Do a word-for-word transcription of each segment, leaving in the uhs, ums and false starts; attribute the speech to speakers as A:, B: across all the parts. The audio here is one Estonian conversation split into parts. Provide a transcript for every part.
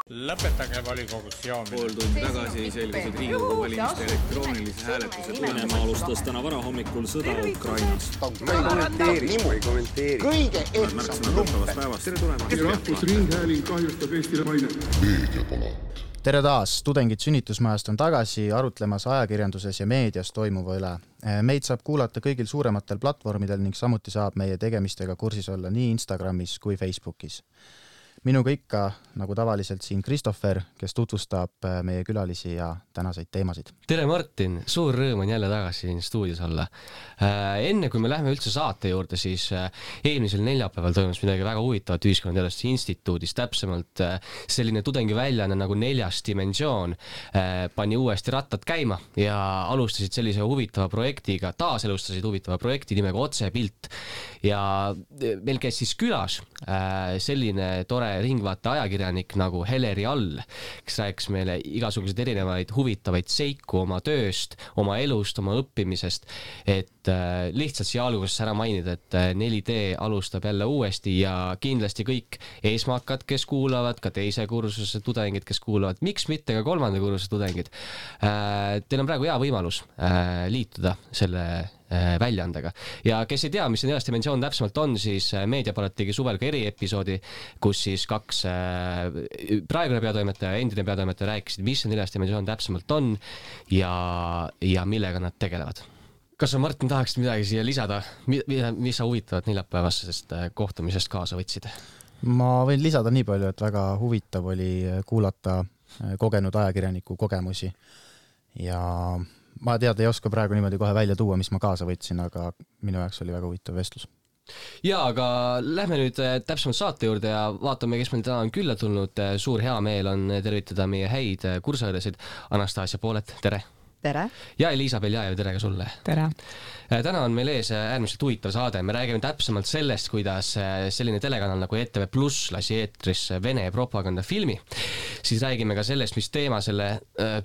A: Lõpetage volikogus joomine.
B: Pool tundi tagasi selgusid Riigikogu valimiste elektroonilise hääletuse
C: Venemaa alustas täna varahommikul sõda Ukrainas.
D: Ma ei kommenteeri, ma ei kommenteeri. Kõige ehtsam lumpe.
B: Tere tulemast.
E: Rahvusringhääling kahjustab Eestile maine.
F: Tere taas, tudengid sünnitusmajast on tagasi arutlemas ajakirjanduses ja meedias toimuva üle. Meid saab kuulata kõigil suurematel platvormidel ning samuti saab meie tegemistega kursis olla nii Instagramis kui Facebookis. Minuga ikka, nagu tavaliselt siin Kristoffer, kes tutvustab meie külalisi ja tänaseid teemasid.
G: Tere Martin, suur rõõm on jälle tagasi siin stuudios olla. Enne kui me lähme üldse saate juurde, siis eelmisel neljapäeval toimus midagi väga huvitavat Ühiskonnateaduste instituudis, täpsemalt selline tudengi väljaanne nagu Neljas dimensioon pani uuesti rattad käima ja alustasid sellise huvitava projektiga, taaselustasid huvitava projekti nimega Otsepilt ja meil käis siis külas selline tore ringvaate ajakirjanik nagu Heleri All, kes rääkis meile igasuguseid erinevaid huvitavaid seiku oma tööst, oma elust, oma õppimisest, et äh, lihtsalt siia alguses ära mainida, et neli D alustab jälle uuesti ja kindlasti kõik eesmakad, kes kuulavad, ka teise kursuse tudengid, kes kuulavad, miks mitte ka kolmanda kursuse tudengid. Äh, teil on praegu hea võimalus äh, liituda selle väljaandega. Ja kes ei tea, mis see Neljas dimensioon täpsemalt on, siis Meediapalat tegi suvel ka eriepisoodi, kus siis kaks praegune peatoimetaja ja endine peatoimetaja rääkisid, mis see Neljas dimensioon täpsemalt on ja, ja millega nad tegelevad. Kas sa, Martin, tahaksid midagi siia lisada? Mis sa huvitavat neljapäevasest kohtumisest kaasa võtsid?
F: Ma võin lisada nii palju, et väga huvitav oli kuulata kogenud ajakirjaniku kogemusi ja ma tead, ei oska praegu niimoodi kohe välja tuua, mis ma kaasa võtsin, aga minu jaoks oli väga huvitav vestlus.
G: Ja, aga lähme nüüd täpsemalt saate juurde ja vaatame, kes meil täna on külla tulnud. Suur hea meel on tervitada meie häid kursaõdesid. Anastasia Poolet, tere!
H: Tere!
G: Ja Elisa Beljajev, tere ka sulle!
H: Tere!
G: Täna on meil ees äärmiselt huvitav saade. Me räägime täpsemalt sellest, kuidas selline telekanal nagu E T V Plus lasi eetris Vene propagandafilmi. Siis räägime ka sellest, mis teema selle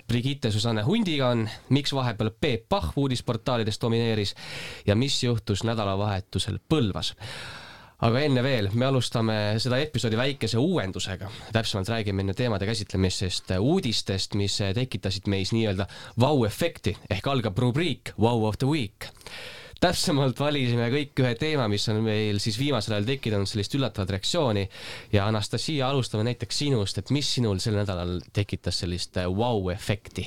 G: Brigitte Susanne Hundiga on, miks vahepeal Peep Pahv uudisportaalides domineeris ja mis juhtus nädalavahetusel Põlvas. Aga enne veel, me alustame seda episoodi väikese uuendusega. Täpsemalt räägime enne teemade käsitlemisest uudistest, mis tekitasid meis nii-öelda wow-efekti, ehk algab rubriik Wow of the Week. Täpsemalt valisime kõik ühe teema, mis on meil siis viimasel ajal tekitanud sellist üllatavat reaktsiooni ja Anastasia, alustame näiteks sinust, et mis sinul sel nädalal tekitas sellist wow-efekti?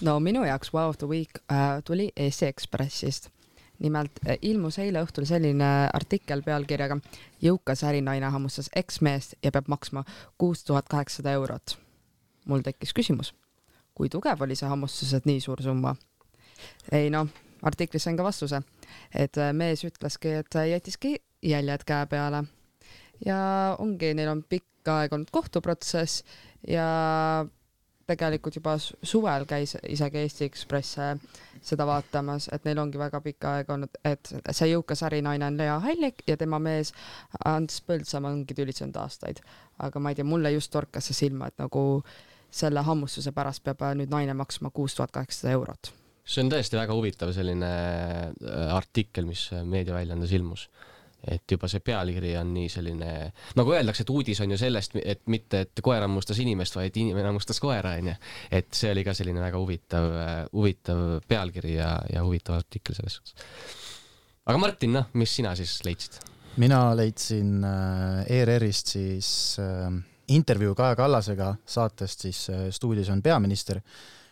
H: No minu jaoks Wow of the Week äh, tuli E S Ekspressist. Nimelt ilmus eile õhtul selline artikkel pealkirjaga Jõukas ärinaine hammustas eksmeest ja peab maksma kuus tuhat kaheksasada eurot. Mul tekkis küsimus, kui tugev oli see hammustus, et nii suur summa? Ei no, artiklis on ka vastuse, et mees ütleski, et jätiski jäljed käe peale. Ja ongi, neil on pikka aeg olnud kohtuprotsess ja tegelikult juba suvel käis isegi Eesti Ekspress seda vaatamas, et neil ongi väga pikka aeg olnud, et see jõukas ärinaine on Lea Hallik ja tema mees Ants Põldsama ongi tülitsenud aastaid. Aga ma ei tea, mulle just torkas see silma, et nagu selle hammustuse pärast peab nüüd naine maksma kuus tuhat kaheksasada eurot.
G: See on tõesti väga huvitav selline artikkel, mis meediaväljaandes ilmus. Et juba see pealkiri on nii selline, nagu öeldakse, et uudis on ju sellest, et mitte, et koer hammustas inimest, vaid inimene hammustas koera, on ju. Et see oli ka selline väga huvitav, huvitav pealkiri ja, ja huvitav artikkel selles suhtes. Aga Martin, no, mis sina siis leidsid?
F: Mina leidsin E R R-ist siis intervjuu Kaja Kallasega saatest, siis stuudios on peaminister,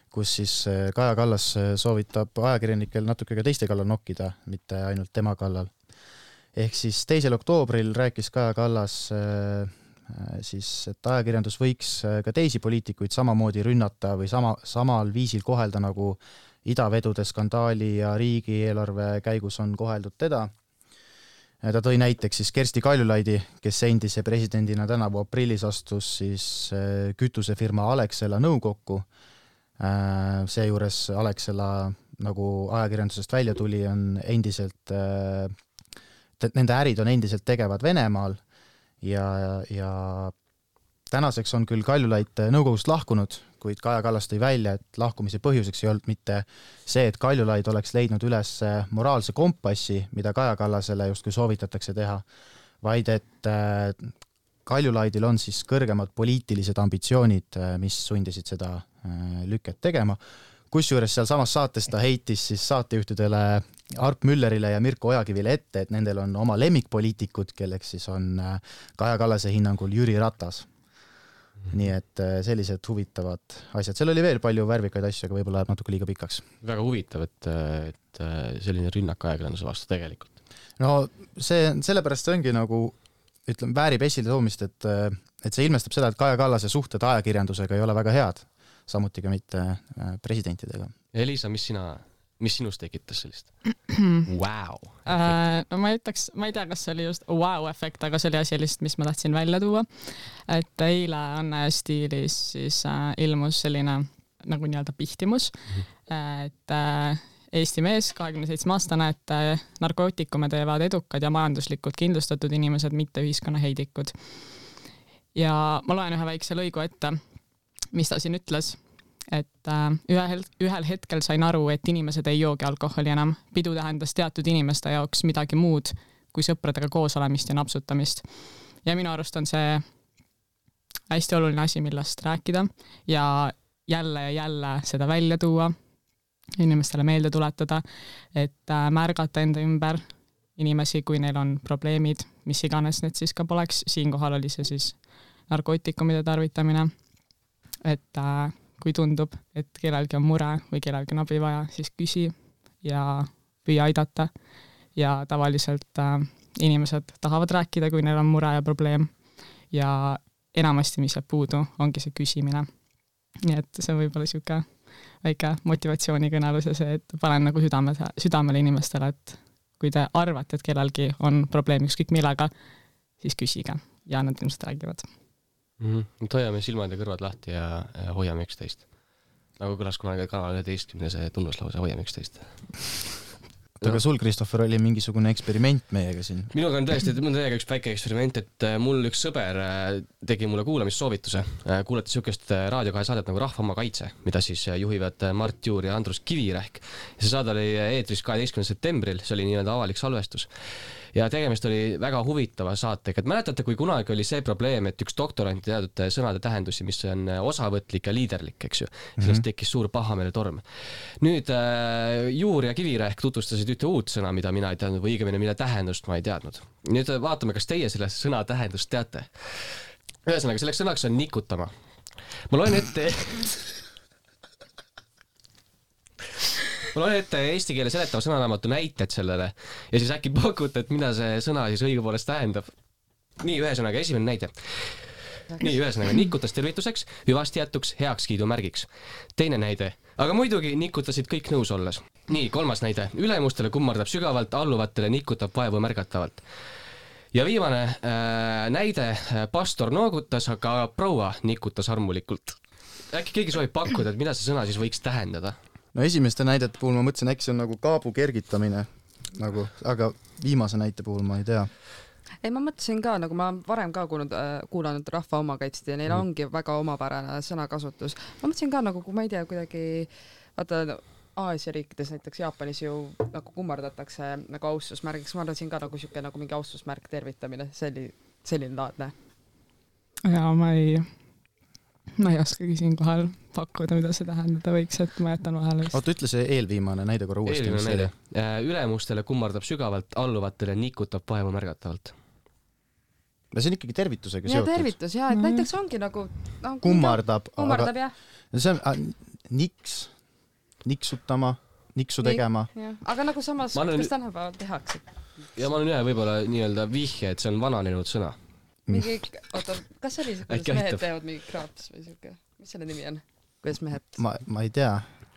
F: kus siis Kaja Kallas soovitab ajakirjanikel natuke ka teiste kallal nokkida, mitte ainult tema kallal. Ehk siis teisel oktoobril rääkis Kaja Kallas siis, et ajakirjandus võiks ka teisi poliitikuid samamoodi rünnata või sama, samal viisil kohelda, nagu idavedude skandaali ja riigieelarve käigus on koheldud teda. Ta tõi näiteks siis Kersti Kaljulaidi, kes endise presidendina tänavu aprillis astus siis kütusefirma Alexela nõukokku. Seejuures Alexela, nagu ajakirjandusest välja tuli, on endiselt nende ärid on endiselt tegevad Venemaal ja, ja tänaseks on küll Kaljulaid nõukogust lahkunud, kuid Kaja Kallas tõi välja, et lahkumise põhjuseks ei olnud mitte see, et Kaljulaid oleks leidnud üles moraalse kompassi, mida Kaja Kallasele justkui soovitatakse teha, vaid et Kaljulaidil on siis kõrgemad poliitilised ambitsioonid, mis sundisid seda lüket tegema. Kusjuures seal samas saates ta heitis siis saatejuhtidele Arp Müllerile ja Mirko Ojakivile ette, et nendel on oma lemmikpoliitikud, kelleks siis on Kaja Kallase hinnangul Jüri Ratas. Nii et sellised huvitavad asjad. Seal oli veel palju värvikaid asju, aga võib-olla läheb natuke liiga pikaks.
G: Väga huvitav, et, et selline rünnak ajakirjanduse vastu tegelikult.
F: No see, sellepärast see ongi nagu, ütleme, väärib esile toomist, et, et see ilmestab seda, et Kaja Kallase suhted ajakirjandusega ei ole väga head, samuti ka mitte presidentidega.
G: Elisa, mis sina... mis sinust tekitas sellist? Wow.
I: Uh, no ma ütleks, ma ei tea, kas see oli just wow-efekt, aga see oli asi lihtsalt, mis ma tahtsin välja tuua. Et eile Anne stiilis siis uh, ilmus selline nagu nii-öelda pihtimus, mm-hmm. et uh, Eesti mees, kahekümne seitsme aastane, et uh, narkootikume teevad edukad ja majanduslikult kindlustatud inimesed, mitte ühiskonna heidikud. Ja ma loen ühe väikse lõigu ette, mis ta siin ütles. Et äh, ühel, ühel hetkel sain aru, et inimesed ei joogi alkoholi enam. Pidu tähendas teatud inimeste jaoks midagi muud kui sõpradega koos olemist ja napsutamist. Ja minu arust on see hästi oluline asi, millest rääkida ja jälle ja jälle seda välja tuua, inimestele meelde tuletada, et äh, märgata enda ümber inimesi, kui neil on probleemid, mis iganes need siis ka poleks. Siinkohal oli see siis narkootikumide tarvitamine, et äh, kui tundub, et kellelgi on mure või kellelgi on abi vaja, siis küsi ja püüa aidata. Ja tavaliselt äh, inimesed tahavad rääkida, kui neil on mure ja probleem. Ja enamasti, mis jääb puudu, ongi see küsimine. Nii et see võib olla siuke väike motivatsioonikõnelus ja see, et panen nagu südame, südamele inimestele, et kui te arvate, et kellelgi on probleem ükskõik millega, siis küsige ja nad ilmselt räägivad.
G: Mm-hmm. Toiame silmad ja kõrvad lahti ja, ja hoiame üksteist. Nagu kõlas kunagi kanal üheteistkümne see tunnuslause, hoiame üksteist.
F: Aga sul, Kristoffer, oli mingisugune eksperiment meiega siin?
G: Minuga on tõesti, mul on täiega üks väike eksperiment, et mul üks sõber tegi mulle kuulamissoovituse. Kuulati sükest Raadio kahe saadet nagu Rahva oma kaitse, mida siis juhivad Mart Juur ja Andrus Kivirähk. See saade oli eetris kaheteistkümnendal septembril, see oli nii-öelda avalik salvestus. Ja tegemist oli väga huvitava saatega. Et mäletate, kui kunagi oli see probleem, et üks doktorant teadnud sõnade tähendusi, mis on osavõtlik ja liiderlik, eks ju. Sellest mm-hmm. tekkis suur pahameele torm. Nüüd äh, Juur ja Kivirähk tutvustasid ühte uut sõna, mida mina ei teadnud, või õigemini, mille tähendust ma ei teadnud. Nüüd vaatame, kas teie selle sõna tähendust teate. Ühesõnaga, selleks sõnaks on nikutama. Ma loen ette... Ma loen ette eesti keele seletava sõnaraamatu näited sellele ja siis äkki pakute, et mida see sõna siis õigupoolest tähendab. Nii, ühesõnaga, esimene näide. Nii, ühesõnaga, nikutas tervituseks, hüvasti jätuks, heakskiidu märgiks. Teine näide, aga muidugi nikutasid kõik nõus olles. Nii, kolmas näide, ülemustele kummardab sügavalt, alluvatele nikutab vaevu märgatavalt. Ja viimane äh, näide, pastor noogutas, aga proua nikutas armulikult. Äkki keegi soovib pakkuda, et mida see sõna siis võiks tähendada?
F: No esimeste näidete puhul ma mõtlesin, äkki see on nagu kaabu kergitamine, nagu, aga viimase näite puhul ma ei tea.
H: Ei, ma mõtlesin ka, nagu ma varem ka kuulnud, äh, kuulanud Rahva oma kaitsti ja neil mm. ongi väga omapärane sõnakasutus. Ma mõtlesin ka, nagu kui ma ei tea, kuidagi, vaata, Aasia riikides, näiteks Jaapanis ju nagu kummardatakse nagu austusmärgiks. Ma arvasin ka nagu siuke nagu mingi austusmärk tervitamine, selli, selline laadne.
I: Ja ma ei... Ma ei oskagi siin kohal pakkuda, mida see tähendada võiks, et ma jätan vahele vist.
F: Oota, ütle see eelviimane näide korra uuesti.
G: Eelviimane näide. Ülemustele kummardab sügavalt, alluvatele nikutab vaevu märgatavalt.
F: Ja see on ikkagi tervitusega
H: ja,
F: seotud.
H: Ja tervitus, jah, et näiteks ongi nagu... No,
F: kummardab.
H: Kummardab, jah.
F: See on a, niks, niksutama, niksu tegema.
H: Ja. Aga nagu samas, olen... kas tänapäeval tehakse?
G: Ja ma olen ühe võib-olla nii-öelda vihje, et see on vananenud sõna.
H: Mingi, oota, kas oli see, kuidas mehed teevad mingi kraaps või siuke? Mis selle nimi on? Kuidas mehed?
F: Ma, ma ei tea.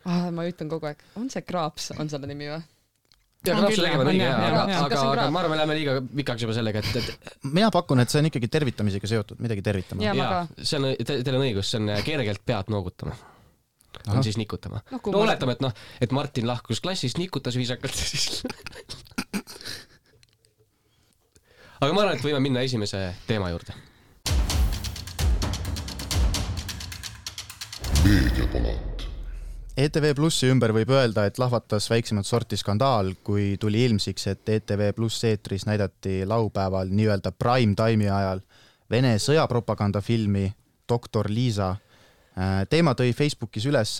H: Ah, ma ütlen kogu aeg. On see kraaps? On selle nimi või?
G: Ja kraapse tegema on õige, aga, aga, aga ma arvan, me läheme liiga pikaks juba sellega, et, et...
F: Mina pakun, et see on ikkagi tervitamisega seotud, midagi tervitama.
H: Ja,
G: ja see on, te, teil on õigus, see on kergelt pead noogutama. Aha. On siis nikutama. No, no oletame, et, no, et Martin lahkus klassist, nikutas viisakalt ja siis... Aga ma arvan, et võime minna esimese teema juurde.
F: Meediapalat. E T V Plussi ümber võib öelda, et lahvatas väiksemat sorti skandaal, kui tuli ilmsiks, et E T V Plus eetris näidati laupäeval nii-öelda prime time'i ajal Vene sõjapropagandafilmi Doktor Liisa. Teema tõi Facebookis üles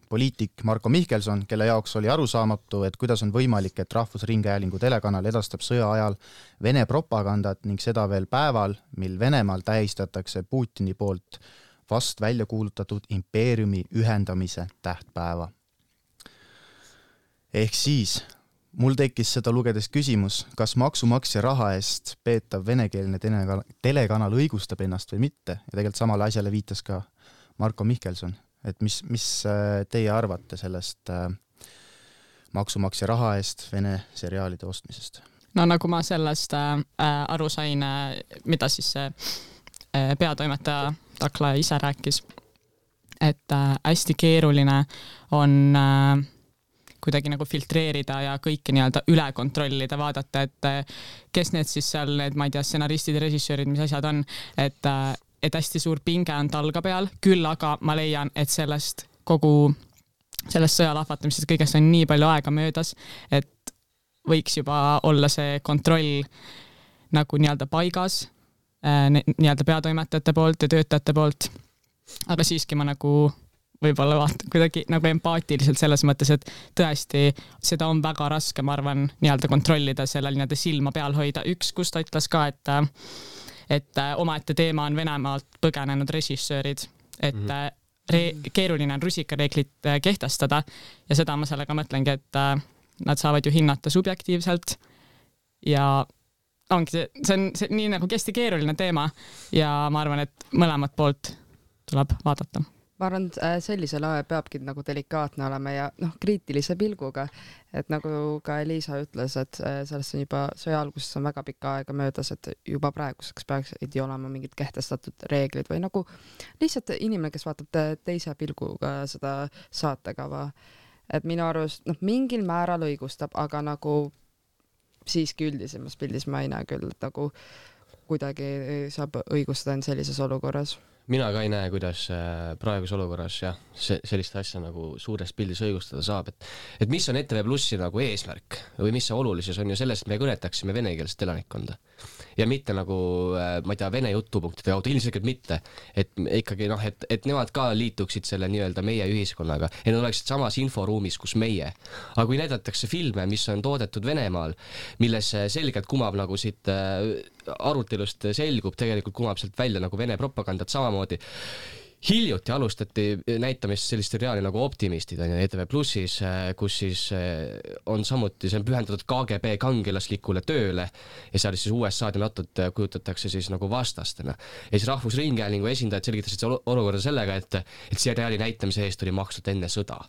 F: poliitik Marko Mihkelson, kelle jaoks oli arusaamatu, et kuidas on võimalik, et Rahvusringhäälingu telekanal edastab sõja ajal Vene propagandat ning seda veel päeval, mil Venemaal tähistatakse Putini poolt vast välja kuulutatud impeeriumi ühendamise tähtpäeva. Ehk siis mul tekkis seda lugedes küsimus, kas maksumaksja raha eest peetav venekeelne telekanal õigustab ennast või mitte, ja tegelikult samale asjale viitas ka Marko Mihkelson. Et mis, mis teie arvate sellest äh, maksumaksja raha eest Vene seriaalide ostmisest?
I: No nagu ma sellest äh, aru sain, mida siis see äh, peatoimetaja Takla ise rääkis, et äh, hästi keeruline on äh, kuidagi nagu filtreerida ja kõike nii-öelda üle kontrollida, vaadata, et äh, kes need siis seal, need, ma ei tea, stsenaristid ja režissöörid, mis asjad on, et äh, et hästi suur pinge on talga peal, küll aga ma leian, et sellest kogu sellest sõjalahvatamisest kõigest on nii palju aega möödas, et võiks juba olla see kontroll nagu nii-öelda paigas nii-öelda peatoimetajate poolt ja töötajate poolt, aga siiski ma nagu võib-olla vaatan kuidagi nagu empaatiliselt selles mõttes, et tõesti seda on väga raske, ma arvan, nii-öelda kontrollida sellel nii-öelda silma peal hoida. Üks, kus ta ütles ka, et et omaette teema on Venemaalt põgenenud režissöörid, et mm-hmm. re- keeruline on rusikareeglit kehtestada ja seda ma sellega mõtlengi, et nad saavad ju hinnata subjektiivselt ja ongi see, see on see, nii nagu hästi keeruline teema ja ma arvan, et mõlemat poolt tuleb vaadata.
H: Ma arvan, sellisel ajal peabki nagu delikaatne olema ja noh, kriitilise pilguga, et nagu ka Liisa ütles, et sellest on juba sõja alguses on väga pikka aega möödas, et juba praeguseks peaks ei olema mingid kehtestatud reeglid või nagu lihtsalt inimene, kes vaatab teise pilguga seda saatekava, et minu arust noh, mingil määral õigustab, aga nagu siiski üldisemas pildis ma ei näe küll, et nagu kuidagi saab õigustada end sellises olukorras.
G: Mina ka ei näe, kuidas praegus olukorras jah, see, sellist asja nagu suures pildis õigustada saab, et, et mis on E T V Plussi nagu eesmärk või mis see olulisus on ju sellest, et me kõnetaksime venekeelset elanikkonda ja mitte nagu, ma ei tea, vene jutupunktide kaudu, ilmselgelt mitte, et ikkagi noh, et, et nemad ka liituksid selle nii-öelda meie ühiskonnaga ja nad oleksid samas inforuumis, kus meie. Aga kui näidatakse filme, mis on toodetud Venemaal, milles selgelt kumab nagu siit arutelust selgub, tegelikult kumab sealt välja nagu Vene propagandat samamoodi. Hiljuti alustati näitamist sellist seriaali nagu Optimistid on E T V Plussis, kus siis on samuti, see on pühendatud K G B kangelaslikule tööle ja seal siis U S A-d ja NATO-t kujutatakse siis nagu vastastena. Ja siis Rahvusringhäälingu esindajad selgitasid olukorda sellega, et, et seriaali näitamise eest oli makstud enne sõda.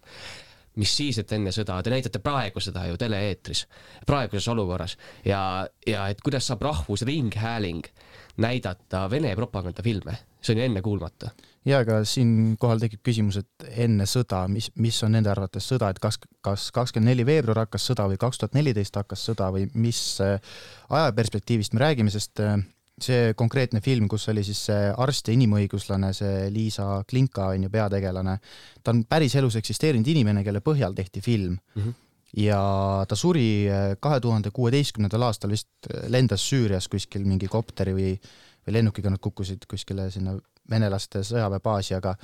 G: Mis siis, et enne sõda, te näitate praegu seda ju tele-eetris, praeguses olukorras ja, ja et kuidas saab Rahvusringhääling näidata Vene propagandafilme, see on ju enne kuulmata.
F: Ja, aga siin kohal tekib küsimus, et enne sõda, mis, mis on nende arvates sõda, et kas, kas kakskümmend neli veebruar hakkas sõda või kaks tuhat neliteist hakkas sõda või mis ajaperspektiivist me räägime, sest see konkreetne film, kus oli siis see arst ja inimõiguslane, see Liisa Klinka on ju peategelane, ta on päris elus eksisteerinud inimene, kelle põhjal tehti film mm-hmm. ja ta suri kahe tuhande kuueteistkümnendal aastal vist lendas Süürias kuskil mingi kopteri või, või lennukiga nad kukkusid kuskile sinna venelaste sõjaväebaasi, aga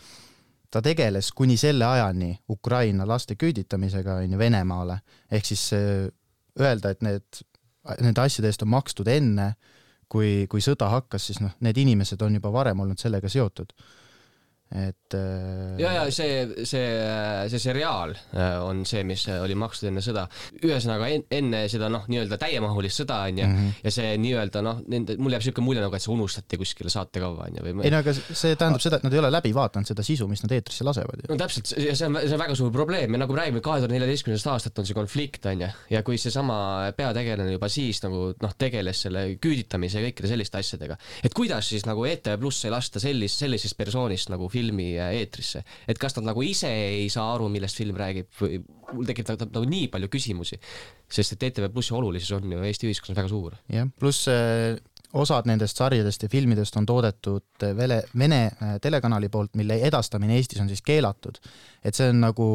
F: ta tegeles kuni selle ajani Ukraina laste küüditamisega on ju Venemaale, ehk siis öelda, et need, need asjade eest on makstud enne, kui, kui sõda hakkas, siis noh, need inimesed on juba varem olnud sellega seotud. Et,
G: ja, ja see, see, see seriaal on see, mis oli makstud enne sõda. Ühesõnaga enne seda noh, nii-öelda täiemahulist sõda on ja, mm-hmm. ja see nii-öelda noh, nende, mul jääb selline mulje nagu, et see unustati kuskile saatekava on ja või...
F: Ei, no, aga see tähendab seda, et nad ei ole läbi vaatanud seda sisu, mis nad eetrisse lasevad.
G: No täpselt, ja see on, see on väga suur probleem ja nagu räägime kahe tuhande neljateistkümnendast aastat on see konflikt on ja, ja kui see sama peategelane juba siis nagu noh, tegeles selle küüditamise ja kõikide selliste asjadega, et kuidas siis nagu E T V Plus ei lasta sellis, sellisest persoonist nagu filmi eetrisse, et kas nad nagu ise ei saa aru, millest film räägib või mul tekib nagu nii palju küsimusi, sest et E T V Plussi olulisus on ju Eesti ühiskonnas väga suur.
F: Jah, pluss osad nendest sarjadest ja filmidest on toodetud Vene, Vene telekanali poolt, mille edastamine Eestis on siis keelatud. Et see on nagu,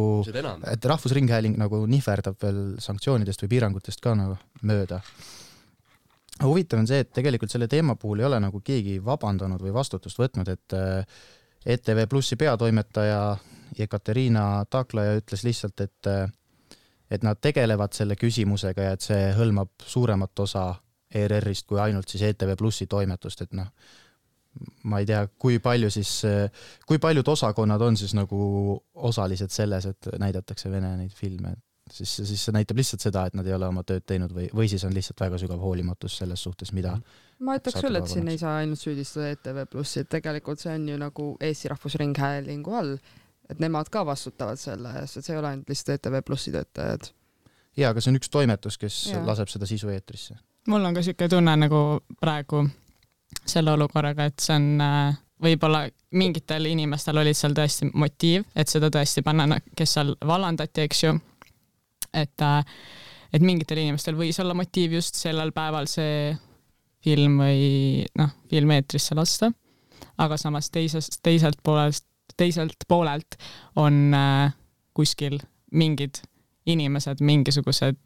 F: et Rahvusringhääling nagu nihverdab veel sanktsioonidest või piirangutest ka nagu mööda. huvitav on see, et tegelikult selle teema puhul ei ole nagu keegi vabandanud või vastutust võtnud, et E T V Plussi peatoimetaja Ekaterina Taklaja ütles lihtsalt, et, et nad tegelevad selle küsimusega ja et see hõlmab suuremat osa E R R-ist kui ainult siis E T V Plussi toimetust, et noh, ma ei tea, kui palju siis, kui paljud osakonnad on siis nagu osalised selles, et näidatakse Vene neid filme, siis, siis see näitab lihtsalt seda, et nad ei ole oma tööd teinud või, või siis on lihtsalt väga sügav hoolimatus selles suhtes, mida
H: ma ütleks küll, et siin ei saa ainult süüdistada E T V Plussi, et tegelikult see on ju nagu Eesti Rahvusringhäälingu all, et nemad ka vastutavad selle eest, et see ei ole ainult lihtsalt E T V Plussi töötajad.
F: Jaa, aga see on üks toimetus, kes ja. laseb seda sisu eetrisse.
I: Mul on ka siuke tunne nagu praegu selle olukorraga, et see on võib-olla mingitel inimestel olid seal tõesti motiiv, et seda tõesti panna, kes seal vallandati, eks ju, et, et mingitel inimestel võis olla motiiv just sellel päeval see film või noh, film eetrisse lasta, aga samas teisest, teiselt poolelt, teiselt poolelt on äh, kuskil mingid inimesed, mingisugused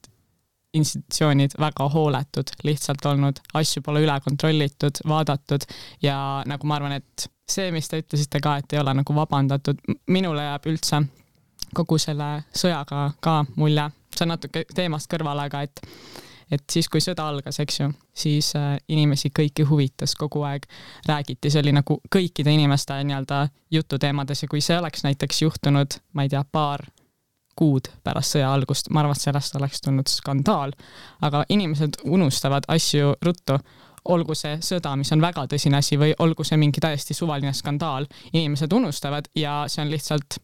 I: institutsioonid väga hooletud, lihtsalt olnud, asju pole üle kontrollitud, vaadatud ja nagu ma arvan, et see, mis te ütlesite ka, et ei ole nagu vabandatud, minule jääb üldse kogu selle sõjaga ka mulje, see on natuke teemast kõrvale, aga et et siis, kui sõda algas, eks ju, siis äh, inimesi kõiki huvitas kogu aeg, räägiti, see oli nagu kõikide inimeste nii-öelda jututeemades ja kui see oleks näiteks juhtunud, ma ei tea, paar kuud pärast sõja algust, ma arvan, et sellest oleks tulnud skandaal, aga inimesed unustavad asju ruttu, olgu see sõda, mis on väga tõsine asi või olgu see mingi täiesti suvaline skandaal, inimesed unustavad ja see on lihtsalt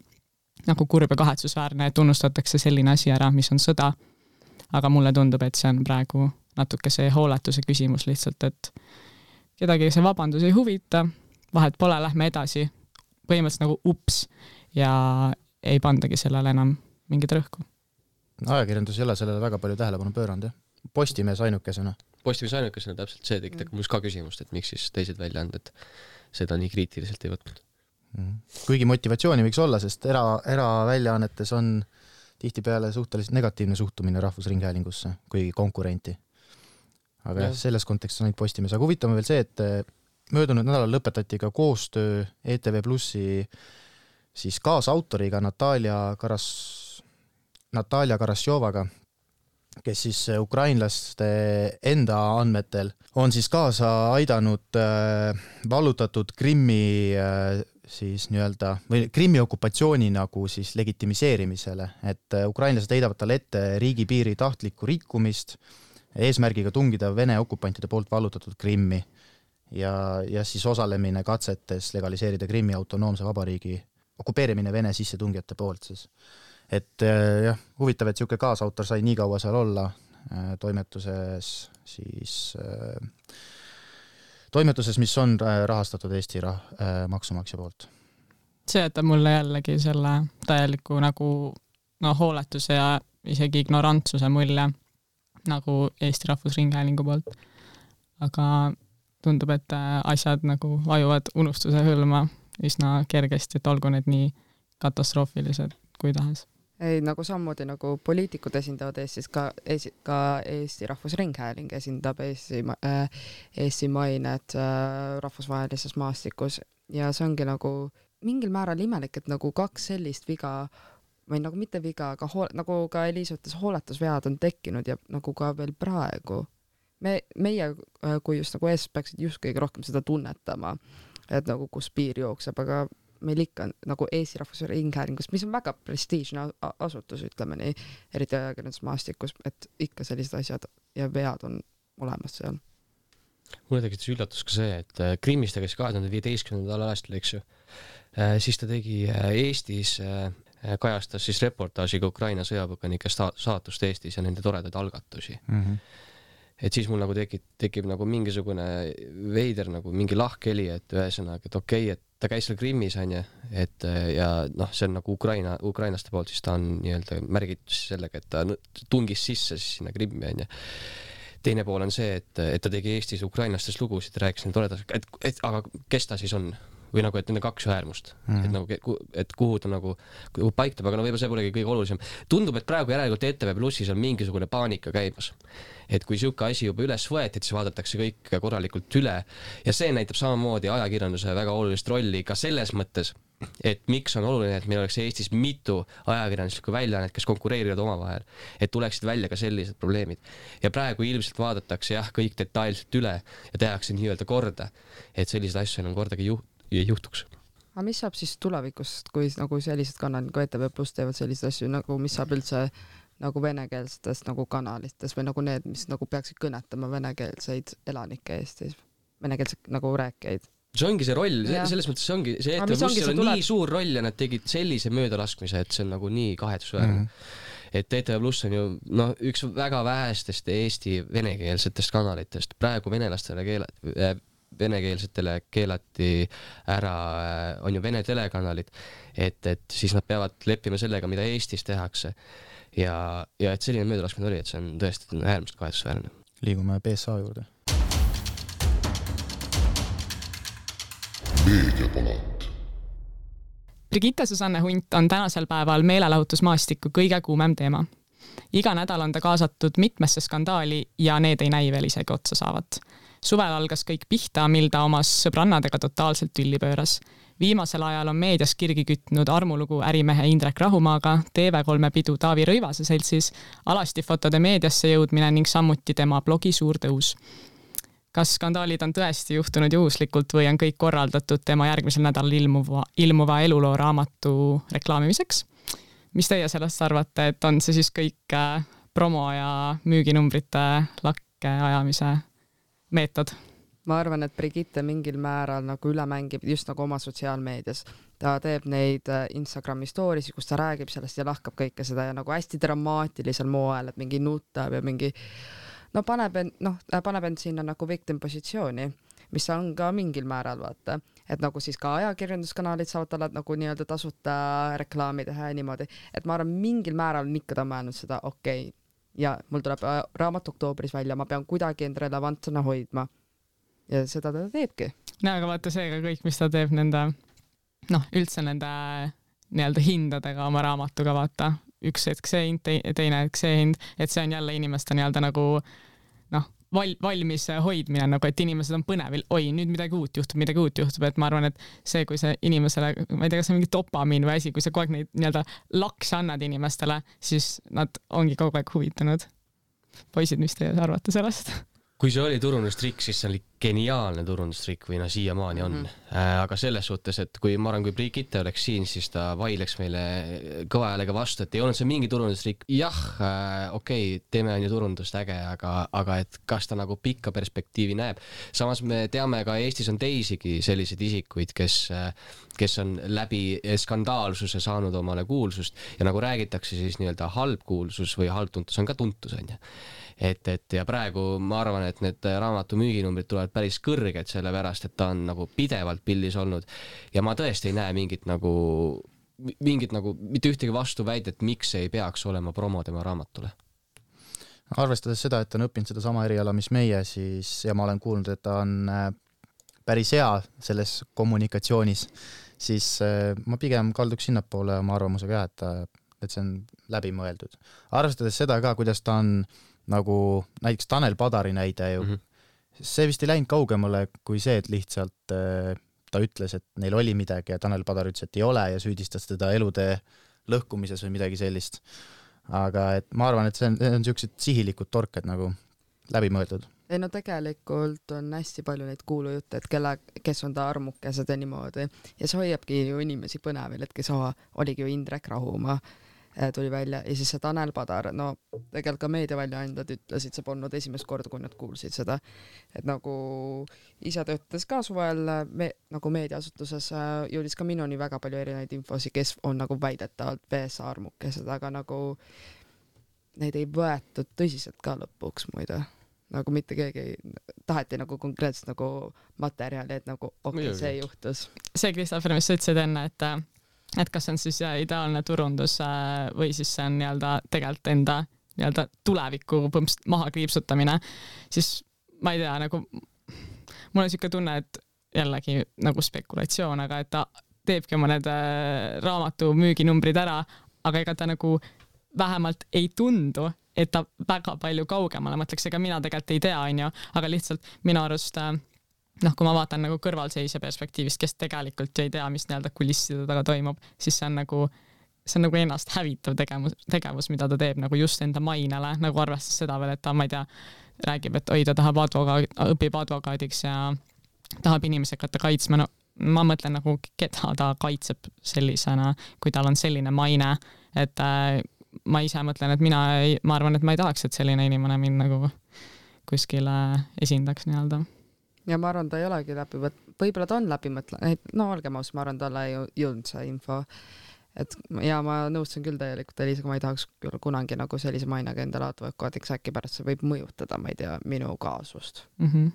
I: nagu kurb ja kahetsusväärne, et unustatakse selline asi ära, mis on sõda. Aga mulle tundub, et see on praegu natuke see hooletuse küsimus lihtsalt, et kedagi see vabandus ei huvita, vahet pole, lähme edasi, põhimõtteliselt nagu ups ja ei pandagi sellele enam mingit rõhku.
F: Ajakirjandus ei ole sellele väga palju tähelepanu pööranud, jah? Postimees ainukesena.
G: Postimees ainukesena täpselt see tegi mm. mul ka küsimust, et miks siis teised väljaanded seda nii kriitiliselt ei võtnud.
F: Mm. Kuigi motivatsiooni võiks olla, sest era, eraväljaannetes on tihtipeale suhteliselt negatiivne suhtumine Rahvusringhäälingusse, kuigi konkurenti. Aga ja. selles kontekstis on neid Postimees. Aga huvitav veel see, et möödunud nädalal lõpetati ka koostöö E T V Plussi siis kaasautoriga Natalia Karas, Natalia Karasjovaga, kes siis ukrainlaste enda andmetel on siis kaasa aidanud äh, vallutatud Krimmi äh, siis nii-öelda, või Krimmi okupatsiooni nagu siis legitimiseerimisele, et ukrainlased heidavad talle ette riigipiiri tahtlikku rikkumist eesmärgiga tungida Vene okupantide poolt vallutatud Krimmi ja, ja siis osalemine katsetes legaliseerida Krimmi autonoomse vabariigi okupeerimine Vene sissetungijate poolt siis. Et jah, huvitav, et siuke kaasautor sai nii kaua seal olla toimetuses siis toimetuses, mis on rahastatud Eesti rah, maksumaksja poolt.
I: See jätab mulle jällegi selle täieliku nagu no, hooletuse ja isegi ignorantsuse mulje nagu Eesti Rahvusringhäälingu poolt. Aga tundub, et asjad nagu vajuvad unustuse hõlma üsna kergesti, et olgu need nii katastroofilised kui tahes.
H: Ei, nagu sammudi nagu poliitikud esindavad Eestis, ka, esi, ka Eesti Rahvusringhääling esindab Eesti, äh, Eesti mainet äh, rahvusvahelises maastikus ja see ongi nagu mingil määral imelik, et nagu kaks sellist viga või nagu mitte viga, aga hool, nagu ka Eliis ütles, hooletusvead on tekkinud ja nagu ka veel praegu. Me, meie, kui just nagu Eestis peaksid just kõige rohkem seda tunnetama, et nagu kus piir jookseb, aga meil ikka nagu Eesti Rahvusringhäälingus, mis on väga prestiižne asutus, ütleme nii, eriti ajakirjandusmaastikus, et ikka sellised asjad ja vead on olemas seal.
G: Mulle tekitas üllatus ka see, et Krimmist teges kahe tuhande viieteistkümnendal aastal, eks ju, siis ta tegi Eestis, kajastas siis reportaažiga Ukraina sõjapõgenike saatust Eestis ja nende toredaid algatusi. Mm-hmm. Et siis mul nagu tekib, tekib nagu mingisugune veider nagu mingi lahkheli, et ühesõnaga, et okei, et ta käis seal Krimmis, on ju, et ja noh, see on nagu Ukraina, ukrainaste poolt, siis ta on nii-öelda märgitud sellega, et ta tungis sisse siis sinna Krimmi, on ju. Teine pool on see, et, et ta tegi Eestis ukrainlastest lugusid, rääkis need toredas, et, et aga kes ta siis on? või nagu, et nende kaks äärmust mm., et nagu, et kuhu ta nagu kuhu paiktab, aga no võib-olla see polegi kõige olulisem. Tundub, et praegu järelikult E T V Plussis on mingisugune paanika käimas. Et kui siuke asi juba üles võeti, et siis vaadatakse kõik korralikult üle ja see näitab samamoodi ajakirjanduse väga olulist rolli ka selles mõttes, et miks on oluline, et meil oleks Eestis mitu ajakirjanduslikku väljaannet, kes konkureerivad omavahel, et tuleksid välja ka sellised probleemid. Ja praegu ilmselt vaadatakse jah, kõik detailselt üle ja tehakse nii-öelda korda, et sellised asju enam kordagi juht, juhtuks.
H: Aga mis saab siis tulevikust, kui nagu sellised kanalid, kui E T V Plus teevad sellised asju, nagu mis saab üldse nagu venekeelsetest nagu kanalites või nagu need, mis nagu peaksid kõnetama venekeelseid elanike Eestis, venekeelseid nagu rääkijaid?
G: See ongi see roll, selles mõttes see ongi, see E T V Plussil on nii suur roll ja nad tegid sellise möödalaskmise, et see on nagu nii kahetsusväärne. Mm -hmm. Et E T V Pluss on ju no, üks väga vähestest Eesti venekeelsetest kanalitest. Praegu venelastele keelati, venekeelsetele keelati ära, on ju vene telekanalid, et, et siis nad peavad leppima sellega, mida Eestis tehakse. Ja, ja et selline möödalaskmine oli, et see on tõesti äärmiselt kahetsusväärne.
F: Liigume B S A juurde.
E: Meediapalat.
I: Brigitte Susanne Hunt on tänasel päeval meelelahutusmaastiku kõige kuumem teema. Iga nädal on ta kaasatud mitmesse skandaali ja need ei näi veel isegi otsa saavat. Suvel algas kõik pihta, mil ta omas sõbrannadega totaalselt tülli pööras. Viimasel ajal on meedias kirgi kütnud armulugu ärimehe Indrek Rahumaaga, T V kolme pidu Taavi Rõivase seltsis, alasti fotode meediasse jõudmine ning sammuti tema blogi suur tõus. Kas skandaalid on tõesti juhtunud juhuslikult või on kõik korraldatud tema järgmisel nädalal ilmuva, ilmuva eluloo raamatu reklaamimiseks? Mis teie sellest arvate, et on see siis kõik promo ja müüginumbrite lakke ajamise meetod?
H: Ma arvan, et Brigitte mingil määral nagu üle mängib just nagu oma sotsiaalmeedias. Ta teeb neid Instagrami stories, kus ta räägib sellest ja lahkab kõike seda ja nagu hästi dramaatilisel moel, et mingi nutab ja mingi no paneb end, noh, paneb end sinna nagu victim positsiooni, mis on ka mingil määral vaata, et nagu siis ka ajakirjanduskanalid saavad talle nagu nii-öelda tasuta reklaami teha ja niimoodi, et ma arvan, mingil määral on ikka ta mõelnud seda, okei, okay, ja mul tuleb raamat oktoobris välja, ma pean kuidagi end relevantsena hoidma ja seda ta teebki.
I: No aga vaata see ka kõik, mis ta teeb nende, noh, üldse nende nii-öelda hindadega oma raamatuga vaata, üks hetk see hind, teine hetk see hind, et see on jälle inimeste nii-öelda nagu noh, val, valmis hoidmine, nagu et inimesed on põnevil, oi, nüüd midagi uut juhtub, midagi uut juhtub, et ma arvan, et see, kui see inimesele, ma ei tea, kas on mingi dopamiin või asi, kui sa kogu aeg neid nii-öelda lakse annad inimestele, siis nad ongi kogu aeg huvitanud. Poisid, mis teie arvate sellest?
G: Kui see oli turundustrikk, siis see oli geniaalne turundustrikk või no siiamaani on. Mm -hmm. äh, aga selles suhtes, et kui ma arvan, kui Brigitte oleks siin, siis ta vaidleks meile kõva häälega vastu, et ei olnud see mingi turundustrikk. Jah, äh, okei, okay, teeme on ju turundust äge, aga, aga et kas ta nagu pikka perspektiivi näeb. Samas me teame ka Eestis on teisigi selliseid isikuid, kes, kes on läbi skandaalsuse saanud omale kuulsust ja nagu räägitakse siis nii-öelda halb kuulsus või halb tuntus on ka tuntus, on ju. Et, et ja praegu ma arvan, et need raamatu müüginumbrid tulevad päris kõrged selle pärast, et ta on nagu pidevalt pildis olnud ja ma tõesti ei näe mingit nagu, mingit nagu mitte ühtegi vastuväidet, miks ei peaks olema promo tema raamatule.
F: Arvestades seda, et on õppinud seda sama eriala, mis meie, siis ja ma olen kuulnud, et ta on päris hea selles kommunikatsioonis, siis ma pigem kalduks sinnapoole oma arvamusega, et, et see on läbimõeldud. Arvestades seda ka, kuidas ta on nagu näiteks Tanel Padari näide ju, mm-hmm. see vist ei läinud kaugemale kui see, et lihtsalt äh, ta ütles, et neil oli midagi ja Tanel Padar ütles, et ei ole ja süüdistas teda elude lõhkumises või midagi sellist. Aga et ma arvan, et see on, see on sellised sihilikud torked nagu läbimõeldud.
H: Ei no tegelikult on hästi palju neid kuulujutte, et kelle, kes on ta armukesed ja niimoodi ja see hoiabki ju inimesi põnevil, et kes oha, oligi ju Indrek Rahumaa tuli välja ja siis see Tanel Padar, no tegelikult ka meediaväljaandjad ütlesid, see polnud esimest korda, kui nad kuulsid seda, et nagu ise töötas ka suvel me, nagu meediaasutuses jõudis ka minuni väga palju erinevaid infosi, kes on nagu väidetavalt B S A armukesed, aga nagu neid ei võetud tõsiselt ka lõpuks muide. Nagu mitte keegi taheti nagu konkreetselt nagu materjali, et nagu okei, okay, see juhtus.
I: See, Kristoffer, mis sa ütlesid enne, et et kas on siis ideaalne turundus või siis see on nii-öelda tegelikult enda nii-öelda tuleviku maha kriipsutamine, siis ma ei tea, nagu mul on siuke tunne, et jällegi nagu spekulatsioon, aga et ta teebki oma need raamatu müüginumbrid ära, aga ega ta nagu vähemalt ei tundu, et ta väga palju kaugemale mõtleks, ega mina tegelikult ei tea, on ju, aga lihtsalt minu arust noh, kui ma vaatan nagu kõrvalseisja perspektiivist, kes tegelikult ei tea, mis nii-öelda kulisside taga toimub, siis see on nagu, see on nagu ennast hävitav tegevus, tegevus, mida ta teeb nagu just enda mainele, nagu arvestas seda veel, et ta, ma ei tea, räägib, et oi, ta tahab advokaad, õpib advokaadiks ja tahab inimesi hakata kaitsma, no ma mõtlen nagu, keda ta kaitseb sellisena, kui tal on selline maine, et äh, ma ise mõtlen, et mina ei, ma arvan, et ma ei tahaks, et selline inimene mind nagu kuskile esindaks nii-öelda.
H: Ja ma arvan, ta ei olegi läbi võt-, võib-olla ta on läbi mõtlen, no olgem aus, ma arvan, talle ei jõudnud see info, et ja ma nõustun küll täielikult Elisaga, ma ei tahaks küll kunagi nagu sellise mainega endale advokaadiks, äkki pärast see võib mõjutada, ma ei tea, minu kaasust.
I: Mm-hmm.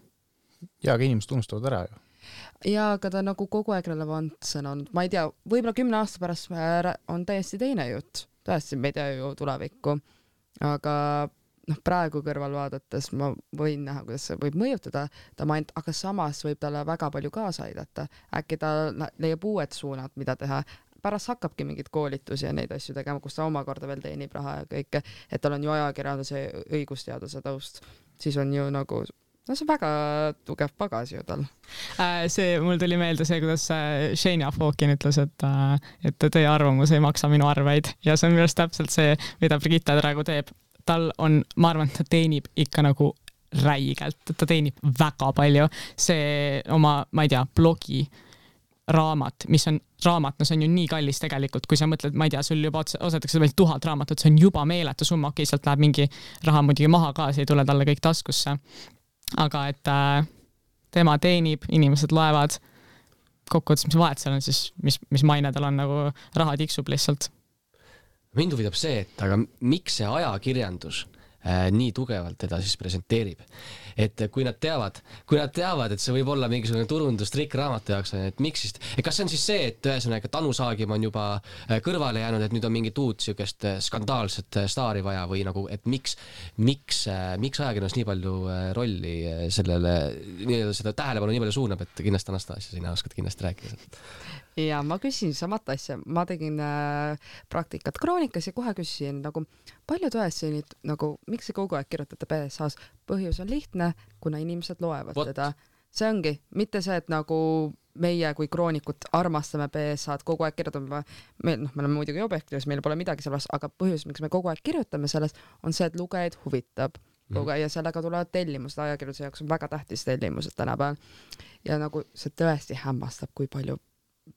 F: Ja, aga inimesed unustavad ära ju.
H: Ja, aga ta nagu kogu aeg relevantsena on, ma ei tea, võib-olla kümne aasta pärast on täiesti teine jutt, tõesti, me ei tea ju tulevikku, aga noh, praegu kõrval vaadates ma võin näha, kuidas see võib mõjutada ta maint, aga samas võib talle väga palju kaasa aidata. Äkki ta leiab uued suunad, mida teha. Pärast hakkabki mingid koolitusi ja neid asju tegema, kus ta omakorda veel teenib raha ja kõike, et tal on ju ajakirjanduse õigusteaduse taust. Siis on ju nagu, no see väga tugev pagas ju tal.
I: See, mul tuli meelde see, kuidas Shania Fawkin ütles, et, et teie arvamus ei maksa minu arveid ja see on minu arust täpselt see, mida Brigitte praegu teeb. Tal on, ma arvan, ta teenib ikka nagu räigelt, ta teenib väga palju. See oma, ma ei tea, blogi raamat, mis on raamat, no see on ju nii kallis tegelikult, kui sa mõtled, ma ei tea, sul juba osatakse veel tuhat raamatut, see on juba meeletu summa, okei, sealt läheb mingi raha muidugi maha ka, see ei tule talle kõik taskusse. Aga et äh, tema teenib, inimesed loevad, kokkuvõttes, mis vahet seal on siis, mis, mis maine tal on, nagu raha tiksub lihtsalt.
G: Mind huvitab see, et aga miks see ajakirjandus äh, nii tugevalt teda siis presenteerib? Et kui nad teavad, kui nad teavad, et see võib olla mingisugune turundustrikk raamatu jaoks, et miks siis, et kas see on siis see, et ühesõnaga Tanu Saagim on juba kõrvale jäänud, et nüüd on mingit uut siukest skandaalset staari vaja või nagu, et miks, miks, miks ajakirjandus nii palju rolli sellele, nii-öelda seda tähelepanu nii palju suunab, et kindlasti Anastasia, sina oskad kindlasti rääkida seda.
H: Ja ma küsin samat asja, ma tegin äh, praktikat kroonikas ja kohe küsisin nagu, palju tõesti nüüd, nagu, miks see kogu aeg kirjutate B S A-s? Põhjus on lihtne, kuna inimesed loevad What? Teda. See ongi, mitte see, et nagu meie kui kroonikud armastame B S A-d, kogu aeg kirjutame, me, noh, me oleme muidugi objektiivis, meil pole midagi selles, aga põhjus, miks me kogu aeg kirjutame sellest, on see, et lugejaid huvitab. Mm. Ja sellega tulevad tellimused, ajakirjanduse jaoks on väga tähtis tellimused tänapäeval. Ja nagu see tõesti hämmastab, kui palju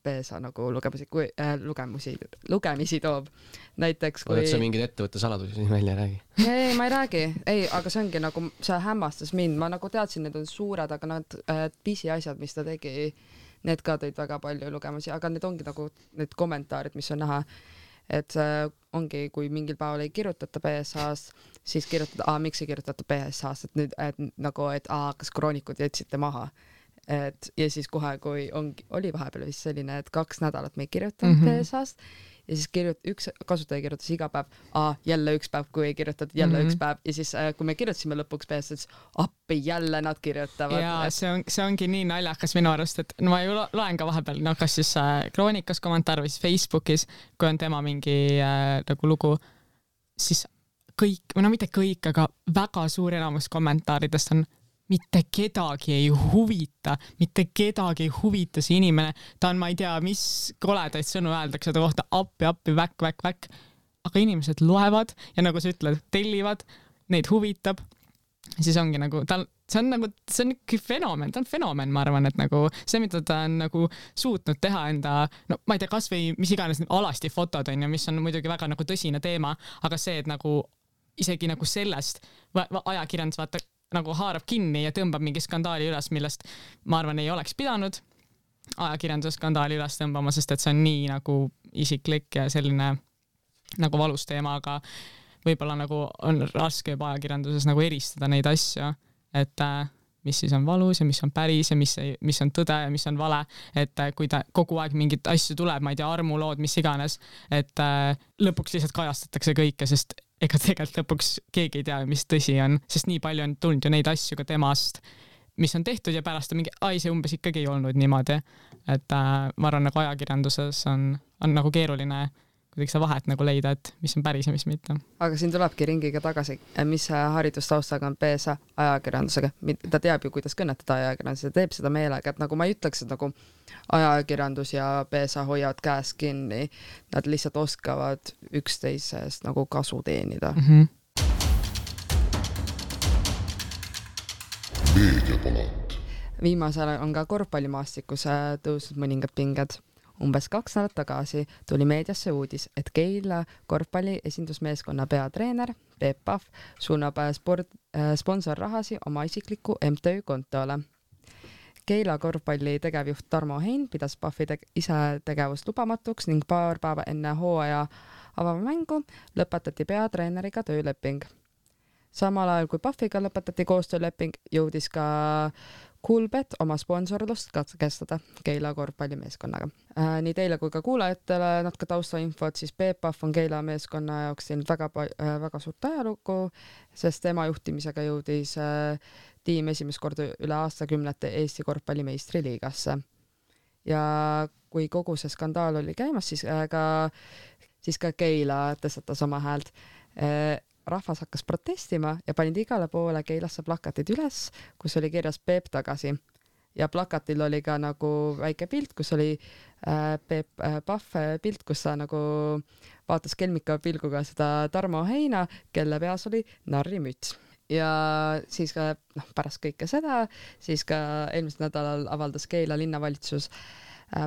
H: B S A nagu lugemisi, kui, äh, lugemusi, lugemisi toob. Näiteks kui...
G: Oled sa mingid ettevõtte saladusi siin välja räägi?
H: Ei, ma ei räägi. Ei, aga see ongi nagu, see hämmastas mind. Ma nagu teadsin, need on suured, aga need äh, pisi asjad, mis ta tegi, need ka tõid väga palju lugemusi, aga need ongi nagu need kommentaarid, mis on näha. Et äh, ongi, kui mingil päeval ei kirjutata B S A-s, siis kirjutada, aa, miks ei kirjutata B S A-s, et nüüd, et nagu, et aa, kas kroonikud jätsite maha. Et, ja siis kohe, kui on, oli vahepeal vist selline, et kaks nädalat me ei kirjutanud mm -hmm. B S A-st ja siis kirjut, üks kasutaja kirjutas iga päev, aa, jälle üks päev, kui ei kirjutatud, jälle mm -hmm. üks päev ja siis kui me kirjutasime lõpuks B S A-s, appi jälle nad kirjutavad.
I: Ja see, on, see ongi nii naljakas minu arust, et no ma ju loen ka vahepeal, no kas siis äh, kroonikas kommentaar või siis Facebookis, kui on tema mingi äh, nagu lugu, siis kõik, või no mitte kõik, aga väga suur enamus kommentaaridest on mitte kedagi ei huvita, mitte kedagi ei huvita see inimene, ta on, ma ei tea, mis koledaid sõnu öeldakse ta kohta, appi, appi, väk, väk, väk, aga inimesed loevad ja nagu sa ütled, tellivad, neid huvitab, siis ongi nagu, ta, see on nagu, see on ikka fenomen, ta on fenomen, ma arvan, et nagu see, mida ta on nagu suutnud teha enda, no ma ei tea, kas või mis iganes alasti fotod on ja mis on muidugi väga nagu tõsine teema, aga see, et nagu isegi nagu sellest ajakirjandus vaata nagu haarab kinni ja tõmbab mingi skandaali üles, millest ma arvan ei oleks pidanud ajakirjanduse skandaali üles tõmbama, sest et see on nii nagu isiklik ja selline nagu valus teema, aga võib-olla nagu on raske juba ajakirjanduses nagu eristada neid asju, et mis siis on valus ja mis on päris ja mis, ei, mis on tõde ja mis on vale, et kui ta kogu aeg mingit asju tuleb, ma ei tea, armulood, mis iganes, et lõpuks lihtsalt kajastatakse kõike, sest ega tegelikult lõpuks keegi ei tea, mis tõsi on, sest nii palju on tulnud ju neid asju ka temast, mis on tehtud ja pärast on mingi, ai see umbes ikkagi ei olnud niimoodi, et äh, ma arvan nagu ajakirjanduses on, on nagu keeruline kuidagi seda vahet nagu leida, et mis on päris ja mis mitte.
H: Aga siin tulebki ringiga tagasi, mis haridustaustaga on P S A ajakirjandusega. Ta teab ju, kuidas kõnetada ajakirjandus ja teeb seda meelega, et nagu ma ei ütleks, et nagu ajakirjandus ja P S A hoiavad käes kinni. Nad lihtsalt oskavad üksteisest nagu kasu teenida.
I: Mm-hmm.
E: Meediapalat.
H: Viimasel on ka korvpallimaastikus tõusnud mõningad pinged. Umbes kaks nädalat tagasi tuli meediasse uudis, et Keila korvpalli esindusmeeskonna peatreener Peep Pahv suunab sport, sponsorrahasi oma isikliku M T Ö kontole. Keila korvpalli tegevjuht Tarmo Hein pidas Pahvi te- ise tegevust lubamatuks ning paar päeva enne hooaja avamängu lõpetati peatreeneriga tööleping. Samal ajal kui Pahviga lõpetati koostööleping, jõudis ka Coolbet oma sponsorlust katkestada Keila korvpallimeeskonnaga. Äh, nii teile kui ka kuulajatele natuke taustainfot, siis Peep Pahv on Keila meeskonna jaoks teinud väga, äh, väga suurt ajalugu, sest tema juhtimisega jõudis äh, tiim esimest korda üle aastakümnete Eesti korvpallimeistriliigasse. Ja kui kogu see skandaal oli käimas, siis, äh, ka, siis ka Keila tõstatas oma häält. Äh, rahvas hakkas protestima ja panid igale poole Keilasse plakatid üles, kus oli kirjas Peep tagasi. Ja plakatil oli ka nagu väike pilt, kus oli äh, Peep äh, Pahv pilt, kus ta nagu vaatas kelmika pilguga seda Tarmo Heina, kelle peas oli narrimüts. Ja siis ka noh, pärast kõike seda, siis ka eelmisel nädalal avaldas Keila linnavalitsus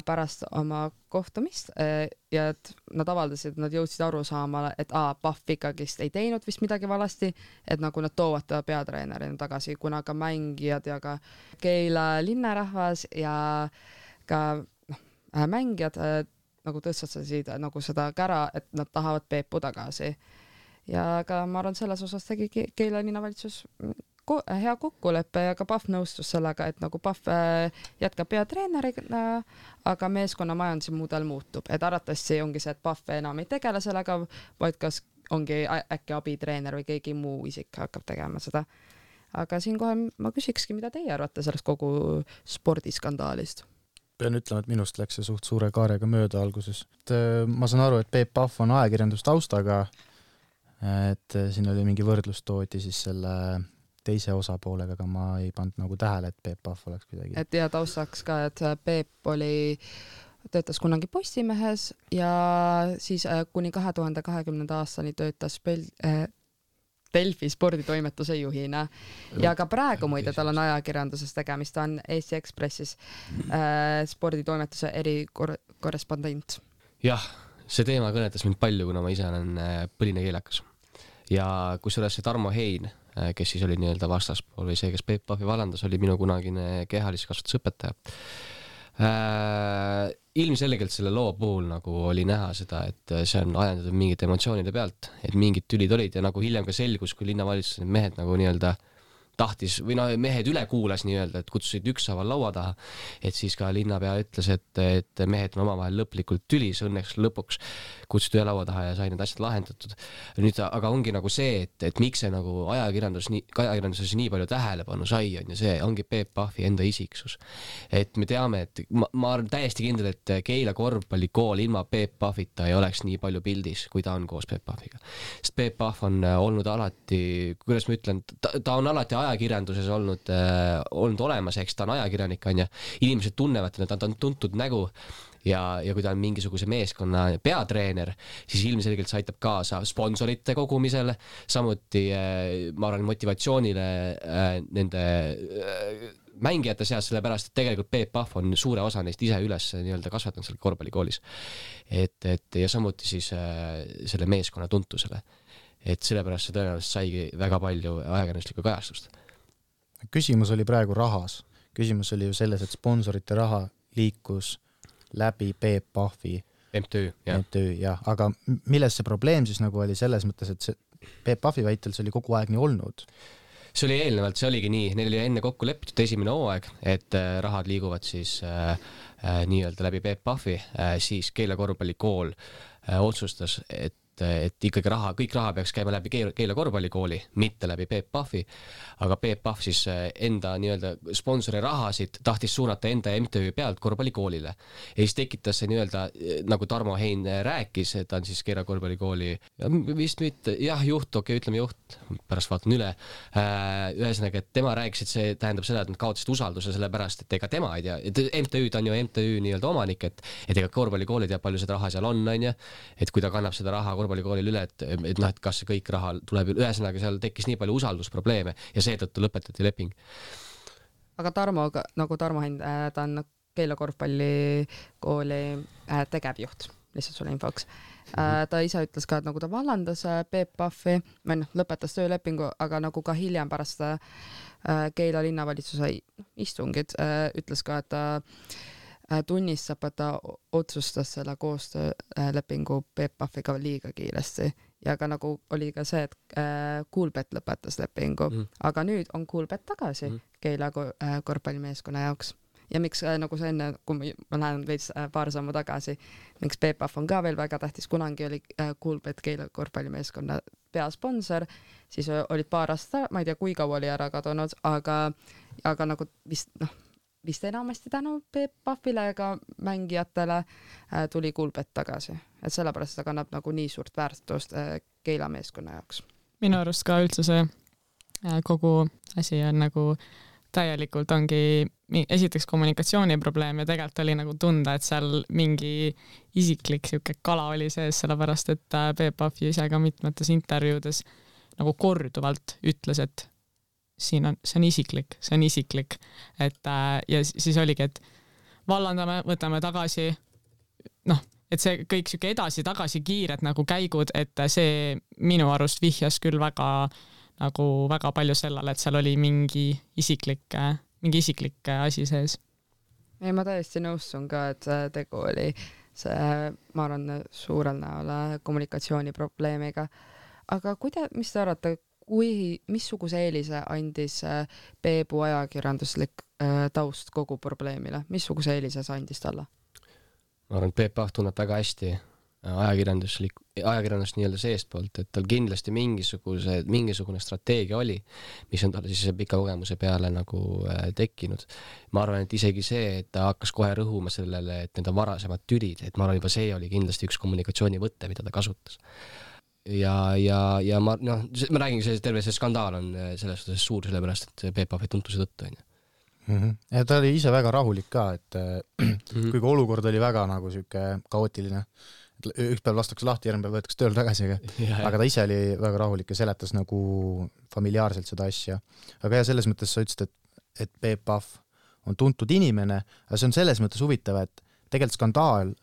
H: pärast oma kohtumist ja et nad avaldasid, et nad jõudsid aru saamale, et a, Pahv ikkagist ei teinud vist midagi valasti, et nagu nad toovad ta peatreenerina tagasi, kuna ka mängijad ja ka Keila linnarahvas ja ka noh, mängijad nagu tõstatasid nagu seda kära, et nad tahavad Peepu tagasi. Ja ka ma arvan, selles osas tegi Keila linnavalitsus hea kokkuleppe ja ka Pahv nõustus sellega, et nagu Pahv jätkab peatreenerina, aga meeskonna majanduse mudel muutub. Et arvatavasti ongi see, et Pahv enam ei tegele sellega, vaid kas ongi äkki abitreener või keegi muu isik hakkab tegema seda. Aga siinkohal ma küsikski, mida teie arvate sellest kogu spordiskandaalist?
F: Pean ütlema, et minust läks see suht suure kaarega mööda alguses. Et ma saan aru, et Peep Pahv on ajakirjandustaustaga, et siin oli mingi võrdlus tooti siis selle teise osapoolega, aga ma ei pannud nagu tähele, et Peep Pahv oleks kuidagi.
H: Et ja taustaks ka, et Peep oli, töötas kunagi Postimehes ja siis kuni kahe tuhande kahekümnenda aastani töötas Pel- äh, Delfi sporditoimetuse juhina. Ja ka praegu muide tal on ajakirjanduses tegemist, ta on Eesti Ekspressis äh, sporditoimetuse erikorrespondent.
G: Jah, see teema kõnetas mind palju, kuna ma ise olen põline keelakas. Ja kusjuures see Tarmo Hein, kes siis oli nii-öelda vastaspool või see, kes Peep Pahvi vallandas, oli minu kunagine kehaliskasvatusõpetaja. Äh, ilmselgelt selle loo puhul nagu oli näha seda, et see on ajendatud mingite emotsioonide pealt, et mingid tülid olid ja nagu hiljem ka selgus, kui linnavalitsus need mehed nagu nii-öelda tahtis, või no mehed üle kuulas nii-öelda, et kutsusid ükshaaval laua taha, et siis ka linnapea ütles, et, et mehed on omavahel lõplikult tülis, õnneks lõpuks kutsuti üle laua taha ja sai need asjad lahendatud. Nüüd, aga ongi nagu see, et, et miks see nagu ajakirjandus, nii, ajakirjanduses nii palju tähelepanu sai, on ja see ongi Peep Pahvi enda isiksus. Et me teame, et ma, ma olen täiesti kindel, et Keila korvpallikool ilma Peep Pahvita ei oleks nii palju pildis, kui ta on koos Peep Pahviga. Sest Peep Pahv on olnud alati, kuidas ma ütlen, ta, ta on alati ajakirjanduses olnud, äh, olnud olemas, eks ta on ajakirjanik, on ja inimesed tunnevad, et ta on tuntud nägu ja, ja kui ta on mingisuguse meeskonna peatreener, siis ilmselgelt see aitab kaasa sponsorite kogumisele, samuti äh, ma arvan motivatsioonile äh, nende äh, mängijate seas, sellepärast, et tegelikult Peep Pahv on suure osa neist ise üles nii-öelda kasvatanud seal korvpallikoolis. Et, et ja samuti siis äh, selle meeskonna tuntusele. Et sellepärast see tõenäoliselt saigi väga palju ajakirjanduslikku kajastust.
F: Küsimus oli praegu rahas. Küsimus oli ju selles, et sponsorite raha liikus läbi Peep Pahvi
G: M T Ö, jah.
F: M T Ö, jah. Aga milles see probleem siis nagu oli selles mõttes, et see Peep Pahvi väitel see oli kogu aeg nii olnud?
G: See oli eelnevalt, see oligi nii, neil oli enne kokku lepitud esimene hooaeg, et rahad liiguvad siis äh, äh, nii-öelda läbi Peep Pahvi, äh, siis Keila korvpallikool äh, otsustas, et et, et ikkagi raha, kõik raha peaks käima läbi Keila korvpallikooli, mitte läbi Peep Pahvi, aga Peep Pahv siis enda nii-öelda sponsori rahasid tahtis suunata enda M T Ü pealt korvpallikoolile. Ja siis tekitas see nii-öelda, nagu Tarmo Hein rääkis, et ta on siis Keila korvpallikooli, vist mitte, jah, juht, okei, ütleme juht, pärast vaatan üle, ühesõnaga, et tema rääkis, et see tähendab seda, et nad kaotasid usalduse selle pärast, et ega tema ei tea, et M T Ü ta on ju M T Ü nii-öelda omanik, et, et ega korvpallikooli teab palju seda raha seal on, on ja, et kui ta kannab seda raha korvpallikoolil üle, et, et noh, et kas see kõik raha tuleb üle, ühesõnaga seal tekkis nii palju usaldusprobleeme ja seetõttu lõpetati leping.
H: Aga Tarmo, nagu Tarmo Hein, ta on Keila korvpallikooli tegevjuht, lihtsalt sulle infoks. Ta ise ütles ka, et nagu ta vallandas Peep Pahvi, või noh, lõpetas töölepingu, aga nagu ka hiljem pärast Keila linnavalitsuse istungid ütles ka, et ta tunnistab, et ta otsustas selle koostöölepingu Peep Pahviga liiga kiiresti. Ja ka nagu oli ka see, et Kuulbet lõpetas lepingu, mm. aga nüüd on Kuulbet tagasi mm. Keila korvpallimeeskonna jaoks. Ja miks nagu see enne, kui ma lähen veits paar sammu tagasi, miks Peep Pahv on ka veel väga tähtis, kunagi oli Kuulbet Keila korvpallimeeskonna peasponsor, siis olid paar aastat, ma ei tea, kui kaua oli ära kadunud, aga, aga nagu vist, noh, vist enamasti tänu Peep Pahvile ega mängijatele tuli Kuulbet tagasi. Et sellepärast ta kannab nagu nii suurt väärtust Keila meeskonna jaoks.
I: Minu arust ka üldse see kogu asi on nagu täielikult ongi esiteks kommunikatsiooniprobleem ja tegelikult oli nagu tunda, et seal mingi isiklik siuke kala oli sees, sellepärast et Peep Pahv ise ka mitmetes intervjuudes nagu korduvalt ütles, et siin on, see on isiklik, see on isiklik. Et, ja siis oligi, et vallandame, võtame tagasi, noh, et see kõik siuke edasi-tagasi kiired nagu käigud, et see minu arust vihjas küll väga nagu väga palju sellele, et seal oli mingi isiklik, mingi isiklik asi sees.
H: Ei, ma täiesti nõustun ka, et tegu oli see, ma arvan, suurel näol kommunikatsiooniprobleemiga. Aga kuida, mis te arvate, kui, missuguse eelise andis Peebu ajakirjanduslik taust kogu probleemile? Missuguse eelise see andis talle?
G: Ma arvan, et Peep Pahv tunneb väga hästi ajakirjanduslik, ajakirjandust nii-öelda seestpoolt, et tal kindlasti mingisuguse, mingisugune strateegia oli, mis on tal siis pika kogemuse peale nagu tekkinud. Ma arvan, et isegi see, et ta hakkas kohe rõhuma sellele, et need on varasemad tülid, et ma arvan, juba see oli kindlasti üks kommunikatsioonivõte, mida ta kasutas. Ja, ja, ja ma, noh, ma räägin, see terve see skandaal on selles suhtes suur, sellepärast, et Peep Pahvi tuntuse tõttu on.
F: Mm-hmm. Ja ta oli ise väga rahulik ka, et mm-hmm. kuigi olukord oli väga nagu süke kaootiline, üks päev lastakse lahti, järgmine päev võetakse tööl tagasi, aga, aga ta ise oli väga rahulik ja seletas nagu familiaarselt seda asja. Aga ja selles mõttes sa ütlesid, et, et Peep Pahv on tuntud inimene, aga see on selles mõttes huvitav, et tegelikult skandaal,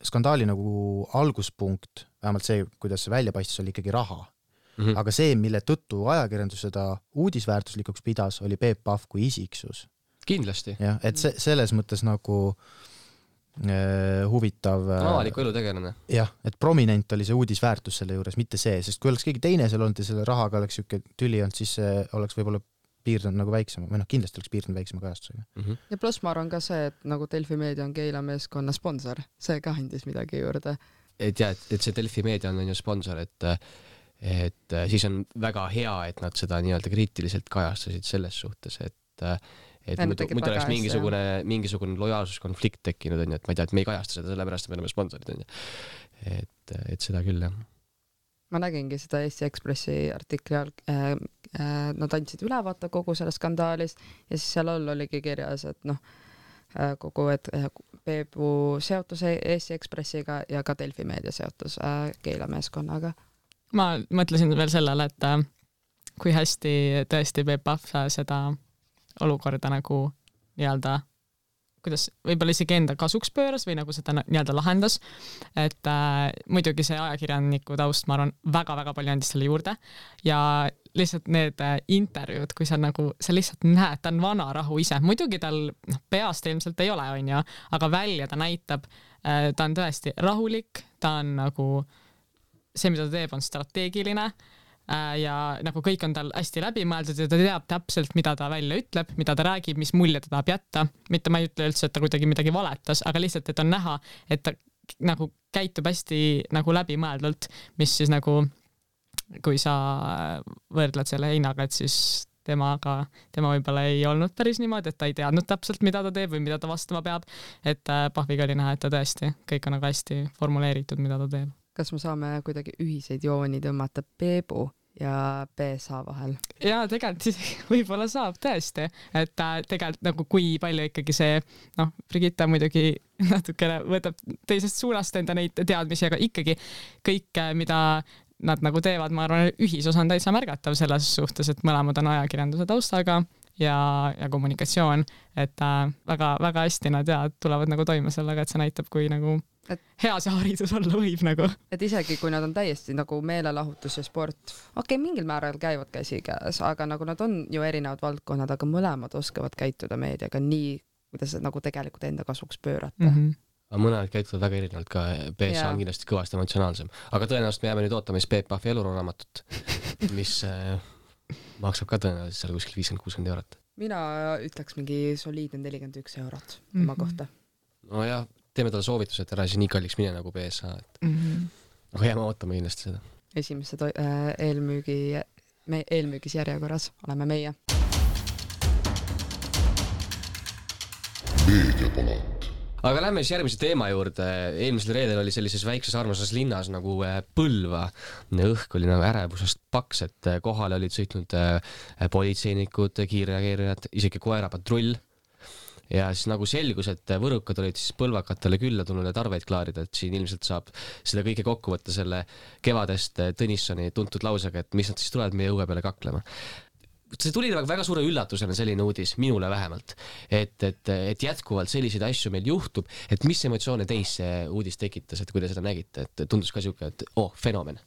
F: skandaali nagu alguspunkt, vähemalt see, kuidas see välja paistis, oli ikkagi raha. Mm-hmm. Aga see, mille tõttu ajakirjandus seda uudisväärtuslikuks pidas, oli Peep Pahv kui isiksus.
G: Kindlasti.
F: Ja, et se- selles mõttes nagu huvitav.
G: Avaliku elu tegelane.
F: Jah, et prominent oli see uudisväärtus selle juures, mitte see, sest kui oleks keegi teine seal olnud ja selle rahaga oleks siuke tüli olnud, siis see oleks võib-olla piirdunud nagu väiksema, või noh, kindlasti oleks piirdunud väiksema kajastusega.
H: Mm-hmm. Ja pluss ma arvan ka see, et nagu Delfi Meedia on Keila meeskonna sponsor, see ka andis midagi juurde.
G: Et jah, et see Delfi Meedia on ju sponsor, et, et siis on väga hea, et nad seda nii-öelda kriitiliselt kajastasid selles suhtes, et et muidu, muidu oleks mingisugune, mingisugune lojaalsuskonflikt tekkinud, on ju, et ma ei tea, et me ei kajasta seda, sellepärast me oleme sponsorid, on ju. Et, et seda küll, jah.
H: Ma nägingi seda Eesti Ekspressi artikli all, äh, äh, nad andsid ülevaate kogu selle skandaalis ja siis seal all oligi kirjas, et noh, äh, kogu, et äh, Peebu seotus Eesti Ekspressiga ja ka Delfi Meedia seotus äh, Keila meeskonnaga.
I: Ma mõtlesin veel sellele, et äh, kui hästi tõesti Peep Pahv seda olukorda nagu nii-öelda, kuidas võib-olla isegi enda kasuks pööras või nagu seda nii-öelda lahendas, et äh, muidugi see ajakirjaniku taust, ma arvan, väga-väga palju andis selle juurde ja lihtsalt need äh, intervjuud, kui sa nagu, sa lihtsalt näed, ta on vana rahu ise, muidugi tal noh, peast ilmselt ei ole, on ju, aga välja ta näitab, äh, ta on tõesti rahulik, ta on nagu see, mida ta teeb, on strateegiline ja nagu kõik on tal hästi läbimõeldud ja ta teab täpselt, mida ta välja ütleb, mida ta räägib, mis mulje ta tahab jätta. Mitte ma ei ütle üldse, et ta kuidagi midagi valetas, aga lihtsalt, et on näha, et ta nagu käitub hästi nagu läbimõeldult, mis siis nagu, kui sa võrdled selle Heinaga, et siis temaga, tema võib-olla ei olnud päris niimoodi, et ta ei teadnud täpselt, mida ta teeb või mida ta vastama peab, et Pahviga oli näha, et ta tõesti, kõik on nagu hästi formuleeritud, mida ta teeb.
H: Kas me saame kuidagi ühiseid jooni tõmmata Peebu ja B S A vahel?
I: Jaa, tegelikult võib-olla saab tõesti, et tegelikult nagu kui palju ikkagi see, noh, Brigitta muidugi natukene võtab teisest suunast enda neid teadmisi, aga ikkagi kõik, mida nad nagu teevad, ma arvan, ühisosa on täitsa märgatav selles suhtes, et mõlemad on ajakirjanduse taustaga ja, ja kommunikatsioon, et äh, väga, väga hästi nad ja tulevad nagu toime sellega, et see näitab, kui nagu et hea see haridus olla võib nagu. Et
H: isegi kui nad on täiesti nagu meelelahutus ja sport, okei, okay, mingil määral käivad käsi käes, aga nagu nad on ju erinevad valdkonnad, aga mõlemad oskavad käituda meediaga nii, kuidas nagu tegelikult enda kasuks pöörata.
G: Mm -hmm. Aga mõned käituvad väga erinevalt, ka B S A on kindlasti kõvasti emotsionaalsem. Aga tõenäoliselt me jääme nüüd ootama siis Peep Pahvi eluraamatut, mis äh, maksab ka tõenäoliselt seal kuskil viiskümmend kuuskümmend eurot.
H: Mina ütleks mingi soliidne nelikümmend üks eurot mm -hmm. oma kohta.
G: No jah, teeme talle soovitus, et ära siis nii kalliks mine nagu B S A. Et... Mm -hmm. Aga jääme ootama kindlasti seda.
H: Esimesse to- äh, eelmüügi, me, eelmüügis järjekorras oleme meie.
E: Meediapalat.
G: Aga lähme siis järgmise teema juurde. Eelmisel reedel oli sellises väikses armasas linnas nagu Põlva. Õhk oli nagu ärevusest paks, et kohale olid sõitnud politseinikud, kiirreageerijad, isegi koerapatrull. Ja siis nagu selgus, et võrukad olid siis põlvakatele külla tulnud ja tarveid klaarida, et siin ilmselt saab seda kõike kokku võtta selle kevadest Tõnissoni tuntud lausega, et mis nad siis tulevad meie õue peale kaklema. See tuli väga suure üllatusena selline uudis, minule vähemalt, et, et, et jätkuvalt selliseid asju meil juhtub, et mis emotsioone teis see uudis tekitas, et kui te seda nägite, et tundus ka siuke, et oh, fenomen,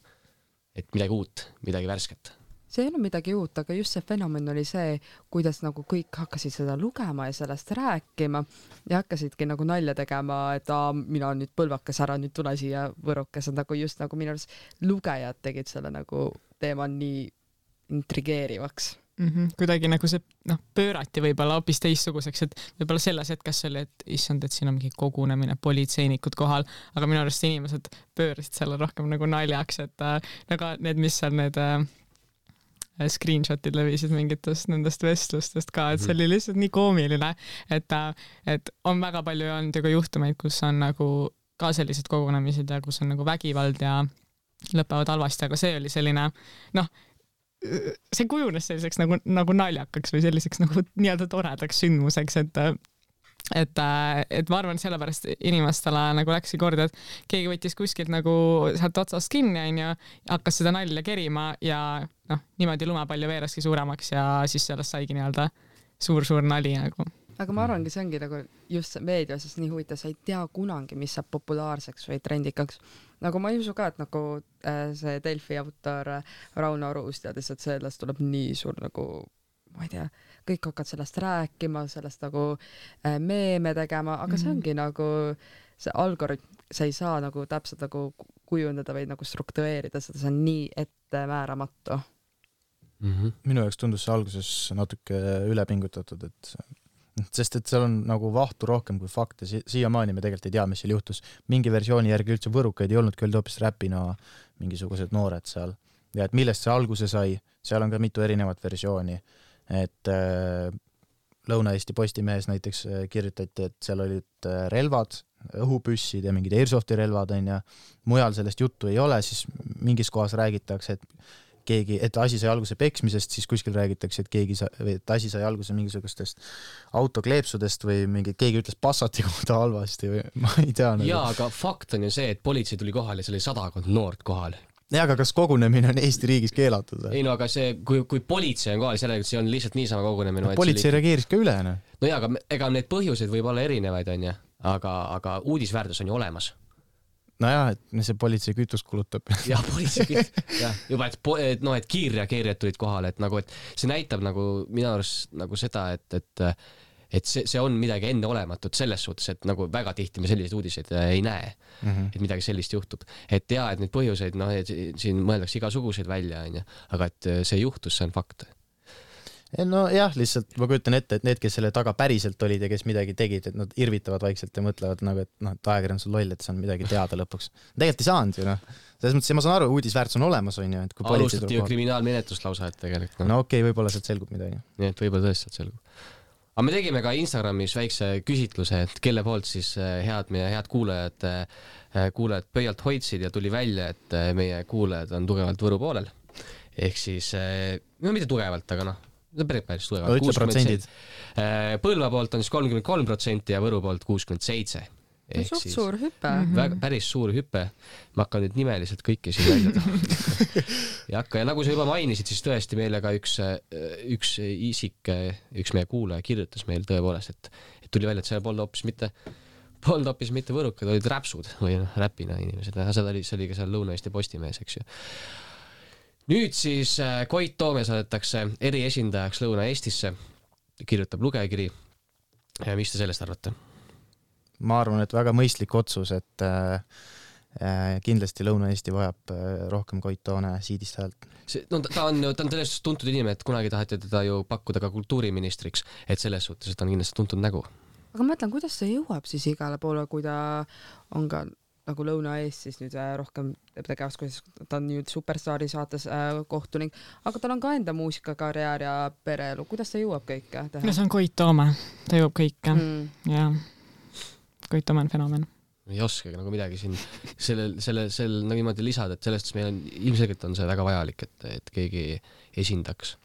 G: et midagi uut, midagi värsket.
H: See ei ole midagi uut, aga just see fenomen oli see, kuidas nagu kõik hakkasid seda lugema ja sellest rääkima ja hakkasidki nagu nalja tegema, et aa, mina on nüüd põlvakas, ära nüüd tule siia võrukas, nagu just nagu minu arust lugejad tegid selle nagu teema nii intrigeerivaks.
I: Mm -hmm. Kuidagi nagu see noh, pöörati võib-olla hoopis teistsuguseks, et võib-olla selles hetkes oli, et issand, et siin on mingi kogunemine, politseinikud kohal, aga minu arust inimesed pöörasid selle rohkem nagu naljaks, et äh, nagu need, mis seal need äh, screenshotid levisid mingitest nendest vestlustest ka, et see oli lihtsalt nii koomiline, et, äh, et on väga palju olnud ju ka juhtumeid, kus on nagu ka sellised kogunemised ja kus on nagu vägivald ja lõpevad halvasti, aga see oli selline noh, see kujunes selliseks nagu, nagu naljakaks või selliseks nagu nii-öelda toredaks sündmuseks, et et, et ma arvan, sellepärast inimestele nagu läksi korda, et keegi võttis kuskilt nagu sealt otsast kinni, on ju, hakkas seda nalja kerima ja noh, niimoodi lumepalju veeraski suuremaks ja siis sellest saigi nii-öelda suur-suur nali nagu.
H: Aga ma arvangi, see ongi nagu just meedias nii huvitav, sa ei tea kunagi, mis saab populaarseks või trendikaks. Nagu ma ei usu ka, et nagu äh, see Delfi autor äh, Rauno Aruus teadis, et sellest tuleb nii suur nagu, ma ei tea, kõik hakkad sellest rääkima, sellest nagu äh, meeme tegema, aga see ongi nagu see algoritm, sa ei saa nagu täpselt nagu kujundada või nagu struktureerida seda, see on nii ettemääramatu.
F: Mm-hmm. Minu jaoks tundus see alguses natuke ülepingutatud, et sest et seal on nagu vahtu rohkem kui fakte, si siiamaani me tegelikult ei tea, mis seal juhtus. Mingi versiooni järgi üldse võrukaid ei olnud, küll hoopis räpina mingisugused noored seal. Ja et millest see alguse sai, seal on ka mitu erinevat versiooni. Et äh, Lõuna-Eesti Postimehes näiteks kirjutati, et seal olid relvad, õhupüssid ja mingid airsofti relvad on ja mujal sellest juttu ei ole, siis mingis kohas räägitakse, et keegi, et asi sai alguse peksmisest, siis kuskil räägitakse, et keegi sa, või et asi sai alguse mingisugustest autokleepsudest või mingi, keegi ütles Passati kohta halvasti või ma ei tea. Nagu.
G: Jaa, aga fakt on ju see, et politsei tuli kohal ja see oli sadakond noort kohal.
F: Ja, aga kas kogunemine on Eesti riigis keelatud?
G: Ei no, aga see, kui, kui politsei on kohal, sellega see on lihtsalt niisama kogunemine.
F: No, politsei oli... reageeris ka üle, no?
G: No jaa, aga ega need põhjuseid võib olla erinevaid, on ju, aga, aga uudisväärtus on ju olemas.
F: No jah, et see politsei kütust kulutab.
G: Jah, politsei kütust, jah, juba, et, et, no, et kiirreageerijad tulid kohale, et nagu, et see näitab nagu minu arust nagu seda, et, et, et see, see on midagi enne olematut selles suhtes, et nagu väga tihti me selliseid uudiseid ei näe, mm -hmm. et midagi sellist juhtub. Et jaa, et neid põhjuseid, noh, siin mõeldakse igasuguseid välja, on ju, aga et see juhtus, see on fakt.
F: no jah, lihtsalt ma kujutan ette, et need, kes selle taga päriselt olid ja kes midagi tegid, et nad irvitavad vaikselt ja mõtlevad nagu, et noh, et ajakirjandus on loll, et see on midagi teada lõpuks. Tegelikult ei saanud ju, noh. Selles mõttes, ma saan aru, uudisväärtus on olemas, on ju, et kui
G: alustati ju kriminaalmenetlust lausa, et tegelikult.
F: No okei, okay, võib-olla sealt selgub midagi.
G: Nii, et võib-olla tõesti sealt selgub. Aga me tegime ka Instagramis väikse küsitluse, et kelle poolt siis head, meie head kuulajad, kuulajad pöialt hoidsid ja tuli välja, et meie kuulajad on tugevalt Võru poolel. Ehk siis, no mitte tugevalt, aga noh, päris päris tugevalt.
F: Ütle protsendid.
G: Põlva poolt on siis kolmkümmend kolm protsenti ja Võru poolt kuuskümmend seitse.
H: Suht suur hüppe.
G: Väga, päris suur hüppe. Ma hakkan nüüd nimeliselt kõiki siin välja taha. ja, hakka, ja nagu sa juba mainisid, siis tõesti meile ka üks, üks isik, üks meie kuulaja kirjutas meil tõepoolest, et, et tuli välja, et see polnud hoopis mitte, polnud hoopis mitte võrukad, olid räpsud või noh, räpina inimesed. See oli, see oli ka seal Lõuna-Eesti Postimees, eks ju. Nüüd siis Koit Toome saadetakse eriesindajaks Lõuna-Eestisse, kirjutab lugejakiri. Ja mis te sellest arvate?
F: Ma arvan, et väga mõistlik otsus, et äh, kindlasti Lõuna-Eesti vajab äh, rohkem Koit Toome siidist häält.
G: See, no, ta on, ta on sellest tuntud inimene, et kunagi taheti teda ju pakkuda ka kultuuriministriks, et selles suhtes, et ta on kindlasti tuntud nägu.
H: Aga ma mõtlen, kuidas see jõuab siis igale poole, kui ta on ka nagu Lõuna-Eestis nüüd rohkem tegevas, kuidas ta on nüüd Superstaari saates äh, kohtunik, aga tal on ka enda muusikakarjäär ja pereelu. Kuidas ta jõuab kõike teha?
I: No see on Koit Toome, ta jõuab kõike. Mm. Ja Koit Toome on fenomen.
G: Ei oskagi nagu midagi siin sellel, sellel, sellel nagu niimoodi lisada, et sellest meil on, ilmselgelt on see väga vajalik, et, et keegi esindaks.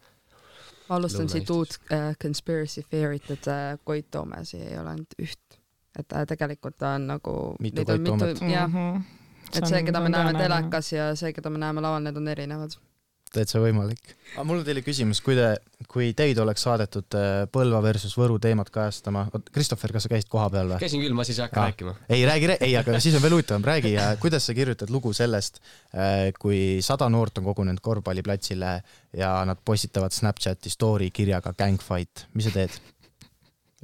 H: Ma alustan siit uut äh, conspiracy theory't, et äh, Koit Toomes ei ole ainult üht. Et äh, tegelikult ta on nagu
F: mitu Koit Toomet.
H: Ja, mm-hmm. Et see, keda me näeme telekas ja see, keda me näeme laval, need on erinevad.
F: Täitsa võimalik. Aga mul on teile küsimus, kui, te, kui teid oleks saadetud Põlva versus Võru teemat kajastama. Kristoffer, kas sa käisid koha peal või?
G: Käisin küll, ma siis ei hakka ah. rääkima.
F: Ei, räägi, ei, aga siis on veel huvitavam. Räägi, kuidas sa kirjutad lugu sellest, kui sada noort on kogunenud korvpalliplatsile ja nad postitavad Snapchati story kirjaga Gangfight. Mis sa teed?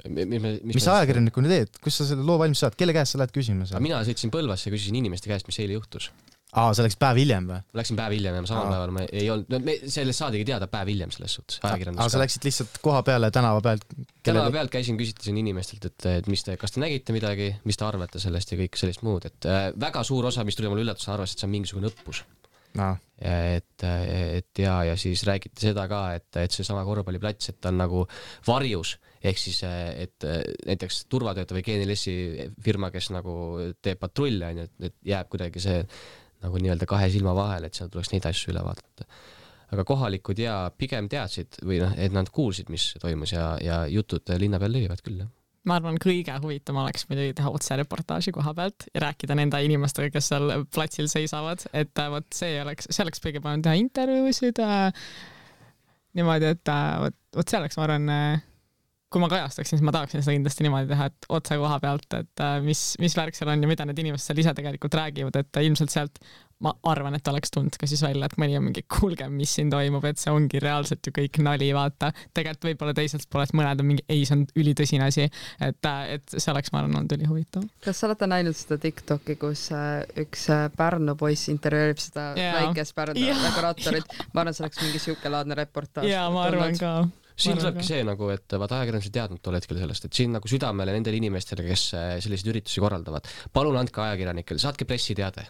G: Mis, mis,
F: mis ajakirjanikuna teed? Kus sa selle loo valmis saad? Kelle käest sa lähed küsima?
G: Mina sõitsin Põlvasse ja küsisin inimeste käest, mis eile juhtus.
F: Aa, see läks päev hiljem või?
G: Läksin päev hiljem ja ma samal päeval ma ei olnud, no me sellest saadigi teada päev hiljem selles suhtes.
F: Aa, sa läksid lihtsalt koha peale tänava pealt?
G: Tänava pealt käisin, küsitasin inimestelt, et, et mis te, kas te nägite midagi, mis te arvate sellest ja kõik sellist muud. Et äh, väga suur osa, mis tuli mulle üllatus, arvas, et see on mingisugune õppus. No. Et, et ja, ja siis räägiti seda ka, et, et see sama korvpalliplats, et ta on nagu varjus, ehk siis, et näiteks turvatööta või G N L S-i firma, kes nagu teeb patrulle, et, et jääb kuidagi see nagu nii-öelda kahe silma vahel, et seal tuleks neid asju üle vaadata. Aga kohalikud ja pigem teadsid või noh, et nad kuulsid, mis toimus ja, ja jutud linna peal levivad küll.
I: Ma arvan, kõige huvitavam oleks muidugi teha otse reportaaži koha pealt ja rääkida nende inimestega, kes seal platsil seisavad, et võt, see oleks, see oleks kõige parem teha intervjuusid niimoodi, et võt, võt see oleks, ma arvan, kui ma kajastaksin, siis ma tahaksin seda kindlasti niimoodi teha, et otse koha pealt, et mis, mis värk seal on ja mida need inimesed seal ise tegelikult räägivad, et ilmselt sealt ma arvan, et oleks tund ka siis välja, et mõni on mingi kuulge, mis siin toimub, et see ongi reaalselt ju kõik nali, vaata. Tegelikult võib-olla teisest poolest mõned on mingi, ei, see on ülitõsine asi, et, et see oleks, ma arvan, on tuli huvitav.
H: Kas sa olete näinud seda TikToki, kus üks Pärnu poiss intervjueerib seda yeah. väikest Pärnu yeah. dekoraatorit? Ma arvan, see oleks mingi siuke laadne reportaaž.
I: Jaa, ma arvan ka.
G: Siin tulebki see, nagu, et vaata ajakirjandus ei teadnud tol hetkel sellest, et siin nagu südamele nendele inimestele, kes selliseid üritusi korraldavad. Palun andke ajakirjanikele, saatke pressiteade.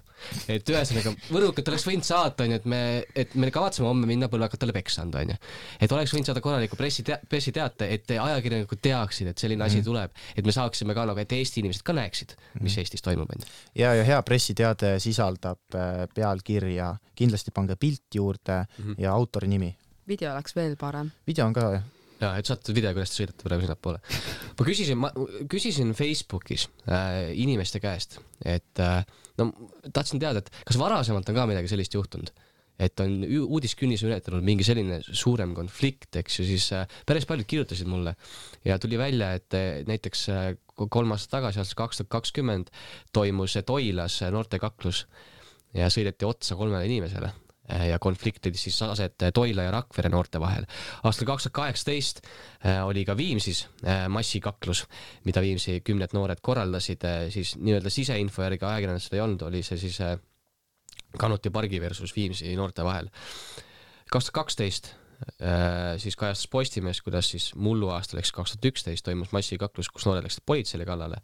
G: Et ühesõnaga, võrukad oleks võinud saata, et me, et me kavatseme homme minna põlvakatele peksa anda. Et oleks võinud saada korraliku pressiteate, et ajakirjanikud teaksid, et selline asi mm. tuleb, et me saaksime ka, et Eesti inimesed ka näeksid, mis mm. Eestis toimub.
F: Ja, ja hea pressiteade sisaldab pealkirja, kindlasti pange pilt juurde mm-hmm. ja autori nimi.
H: Video oleks veel parem.
F: Video on ka, jah.
G: Ja, et saate video, kuidas te sõidate praegu sinna poole. Ma küsisin, ma küsisin Facebookis äh, inimeste käest, et äh, no, tahtsin teada, et kas varasemalt on ka midagi sellist juhtunud, et on uudiskünnis ületanud mingi selline suurem konflikt, eks ju, siis äh, päris paljud kirjutasid mulle ja tuli välja, et äh, näiteks äh, kolm aastat tagasi, aastal kaks tuhat kakskümmend toimus Toilas noortekaklus ja sõideti otsa kolmele inimesele. Ja konfliktid siis aset Toila ja Rakvere noorte vahel. Aastal kaks tuhat kaheksateist oli ka Viimsis massikaklus, mida Viimsi kümned noored korraldasid, siis nii-öelda siseinfo järgi ajakirjandus seda ei olnud, oli see siis Kanuti pargi versus Viimsi noorte vahel. kaks tuhat kaksteist siis kajastas Postimees, kuidas siis mullu aastal ehk kaks tuhat üksteist toimus massikaklus, kus noored läksid politseile kallale.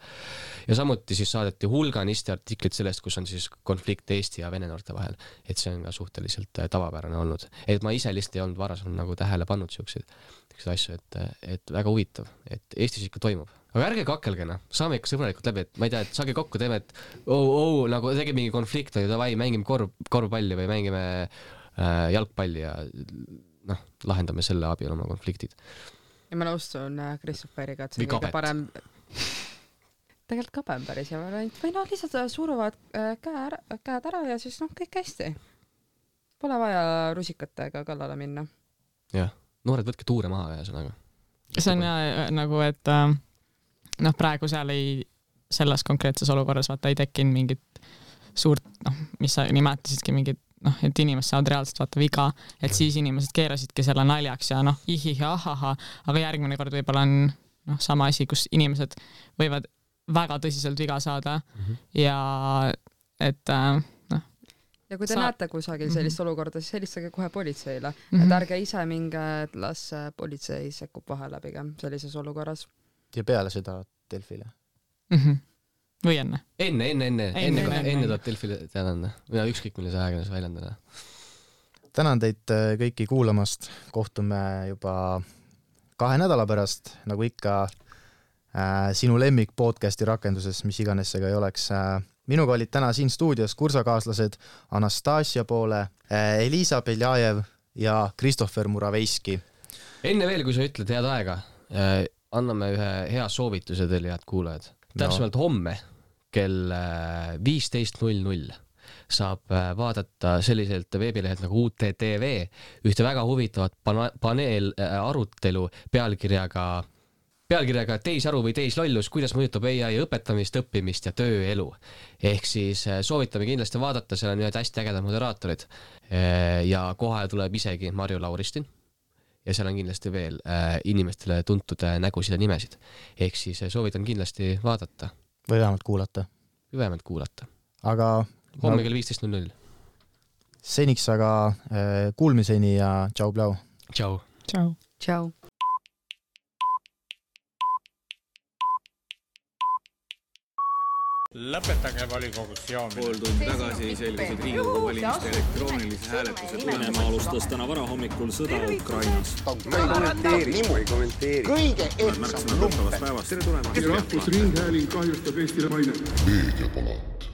G: Ja samuti siis saadeti hulganisti artiklit sellest, kus on siis konflikt Eesti ja Vene noorte vahel. Et see on ka suhteliselt tavapärane olnud. Et ma ise lihtsalt ei olnud varasem nagu tähele pannud siukseid asju, et, et väga huvitav, et Eestis ikka toimub. Aga ärge kakelgena, saame ikka sõbralikult läbi, et ma ei tea, et saage kokku, teeme, et oh, oh, nagu tegime mingi konflikt või davai, mängime korv, korvpalli või mängime äh, jalgpalli ja noh, lahendame selle abil oma konfliktid.
H: Ja ma nõustun Christopheriga, et see on kõige parem... Tegelikult kabem päris ja variant. Või noh, lihtsalt suruvad käed ära ja siis noh, kõik hästi. Pole vaja rusikatega kallale minna.
G: Jah, noored võtke tuure maha ja sõnaga.
I: See on ja, nagu, et noh, praegu seal ei, selles konkreetses olukorras vaata ei tekkinud mingit suurt, noh, mis sa nimetasidki mingit, noh, et inimesed saavad reaalselt vaata viga, et siis inimesed keerasidki selle naljaks ja noh, ihihi, ahaha, aga järgmine kord võib-olla on noh, sama asi, kus inimesed võivad väga tõsiselt viga saada mm-hmm. ja et noh.
H: Ja kui te Sa... näete kusagil sellist mm-hmm. olukorda, siis helistage kohe politseile, mm-hmm. et ärge ise minge, et las politsei sekkub vahele pigem sellises olukorras.
F: Ja peale seda Delfile.
I: Mm-hmm. Või enne?
G: Enne, enne, enne, enne, enne, enne, enne tuleb Delfile teadanda. Või ükskõik millise ajakirjas väljendada.
F: Tänan teid kõiki kuulamast. Kohtume juba kahe nädala pärast, nagu ikka äh, sinu lemmik podcasti rakenduses, mis iganes see ka ei oleks. Äh, minuga olid täna siin stuudios kursakaaslased Anastasia Poole, äh, Elisa Beljajev ja Christopher Muraveiski. Enne veel, kui sa ütled head aega, äh, anname ühe hea soovituse teile, head kuulajad. Täpsemalt no. Homme kell viisteist null null saab vaadata selliselt veebilehelt nagu U T T V ühte väga huvitavat paneel arutelu pealkirjaga, pealkirjaga teisharu või teislollus, kuidas mõjutab A I õpetamist, õppimist ja tööelu. Ehk siis soovitame kindlasti vaadata, seal on ühed hästi ägedad moderaatorid ja kohe tuleb isegi Marju Lauristin. Ja seal on kindlasti veel äh, inimestele tuntud äh, nägusid ja nimesid. Ehk siis äh, soovitan kindlasti vaadata. Või vähemalt kuulata. Või vähemalt kuulata. Aga... Homme kell viisteist null null. Seniks aga äh, kuulmiseni ja tšau plau. Tšau.
I: Tšau.
H: Tšau.
A: Lõpetage volikogus joomine.
B: Pool tundi tagasi selgusid Riigikogu valimiste elektroonilise hääletuse
C: Venemaa alustas täna varahommikul sõda Ukrainas.
D: Ma ei kommenteeri, ma ei kommenteeri. Kõige ehtsam lumpe.
B: Tere tulemast.
E: Rahvusringhääling kahjustab Eestile maine.
J: Meediapalat.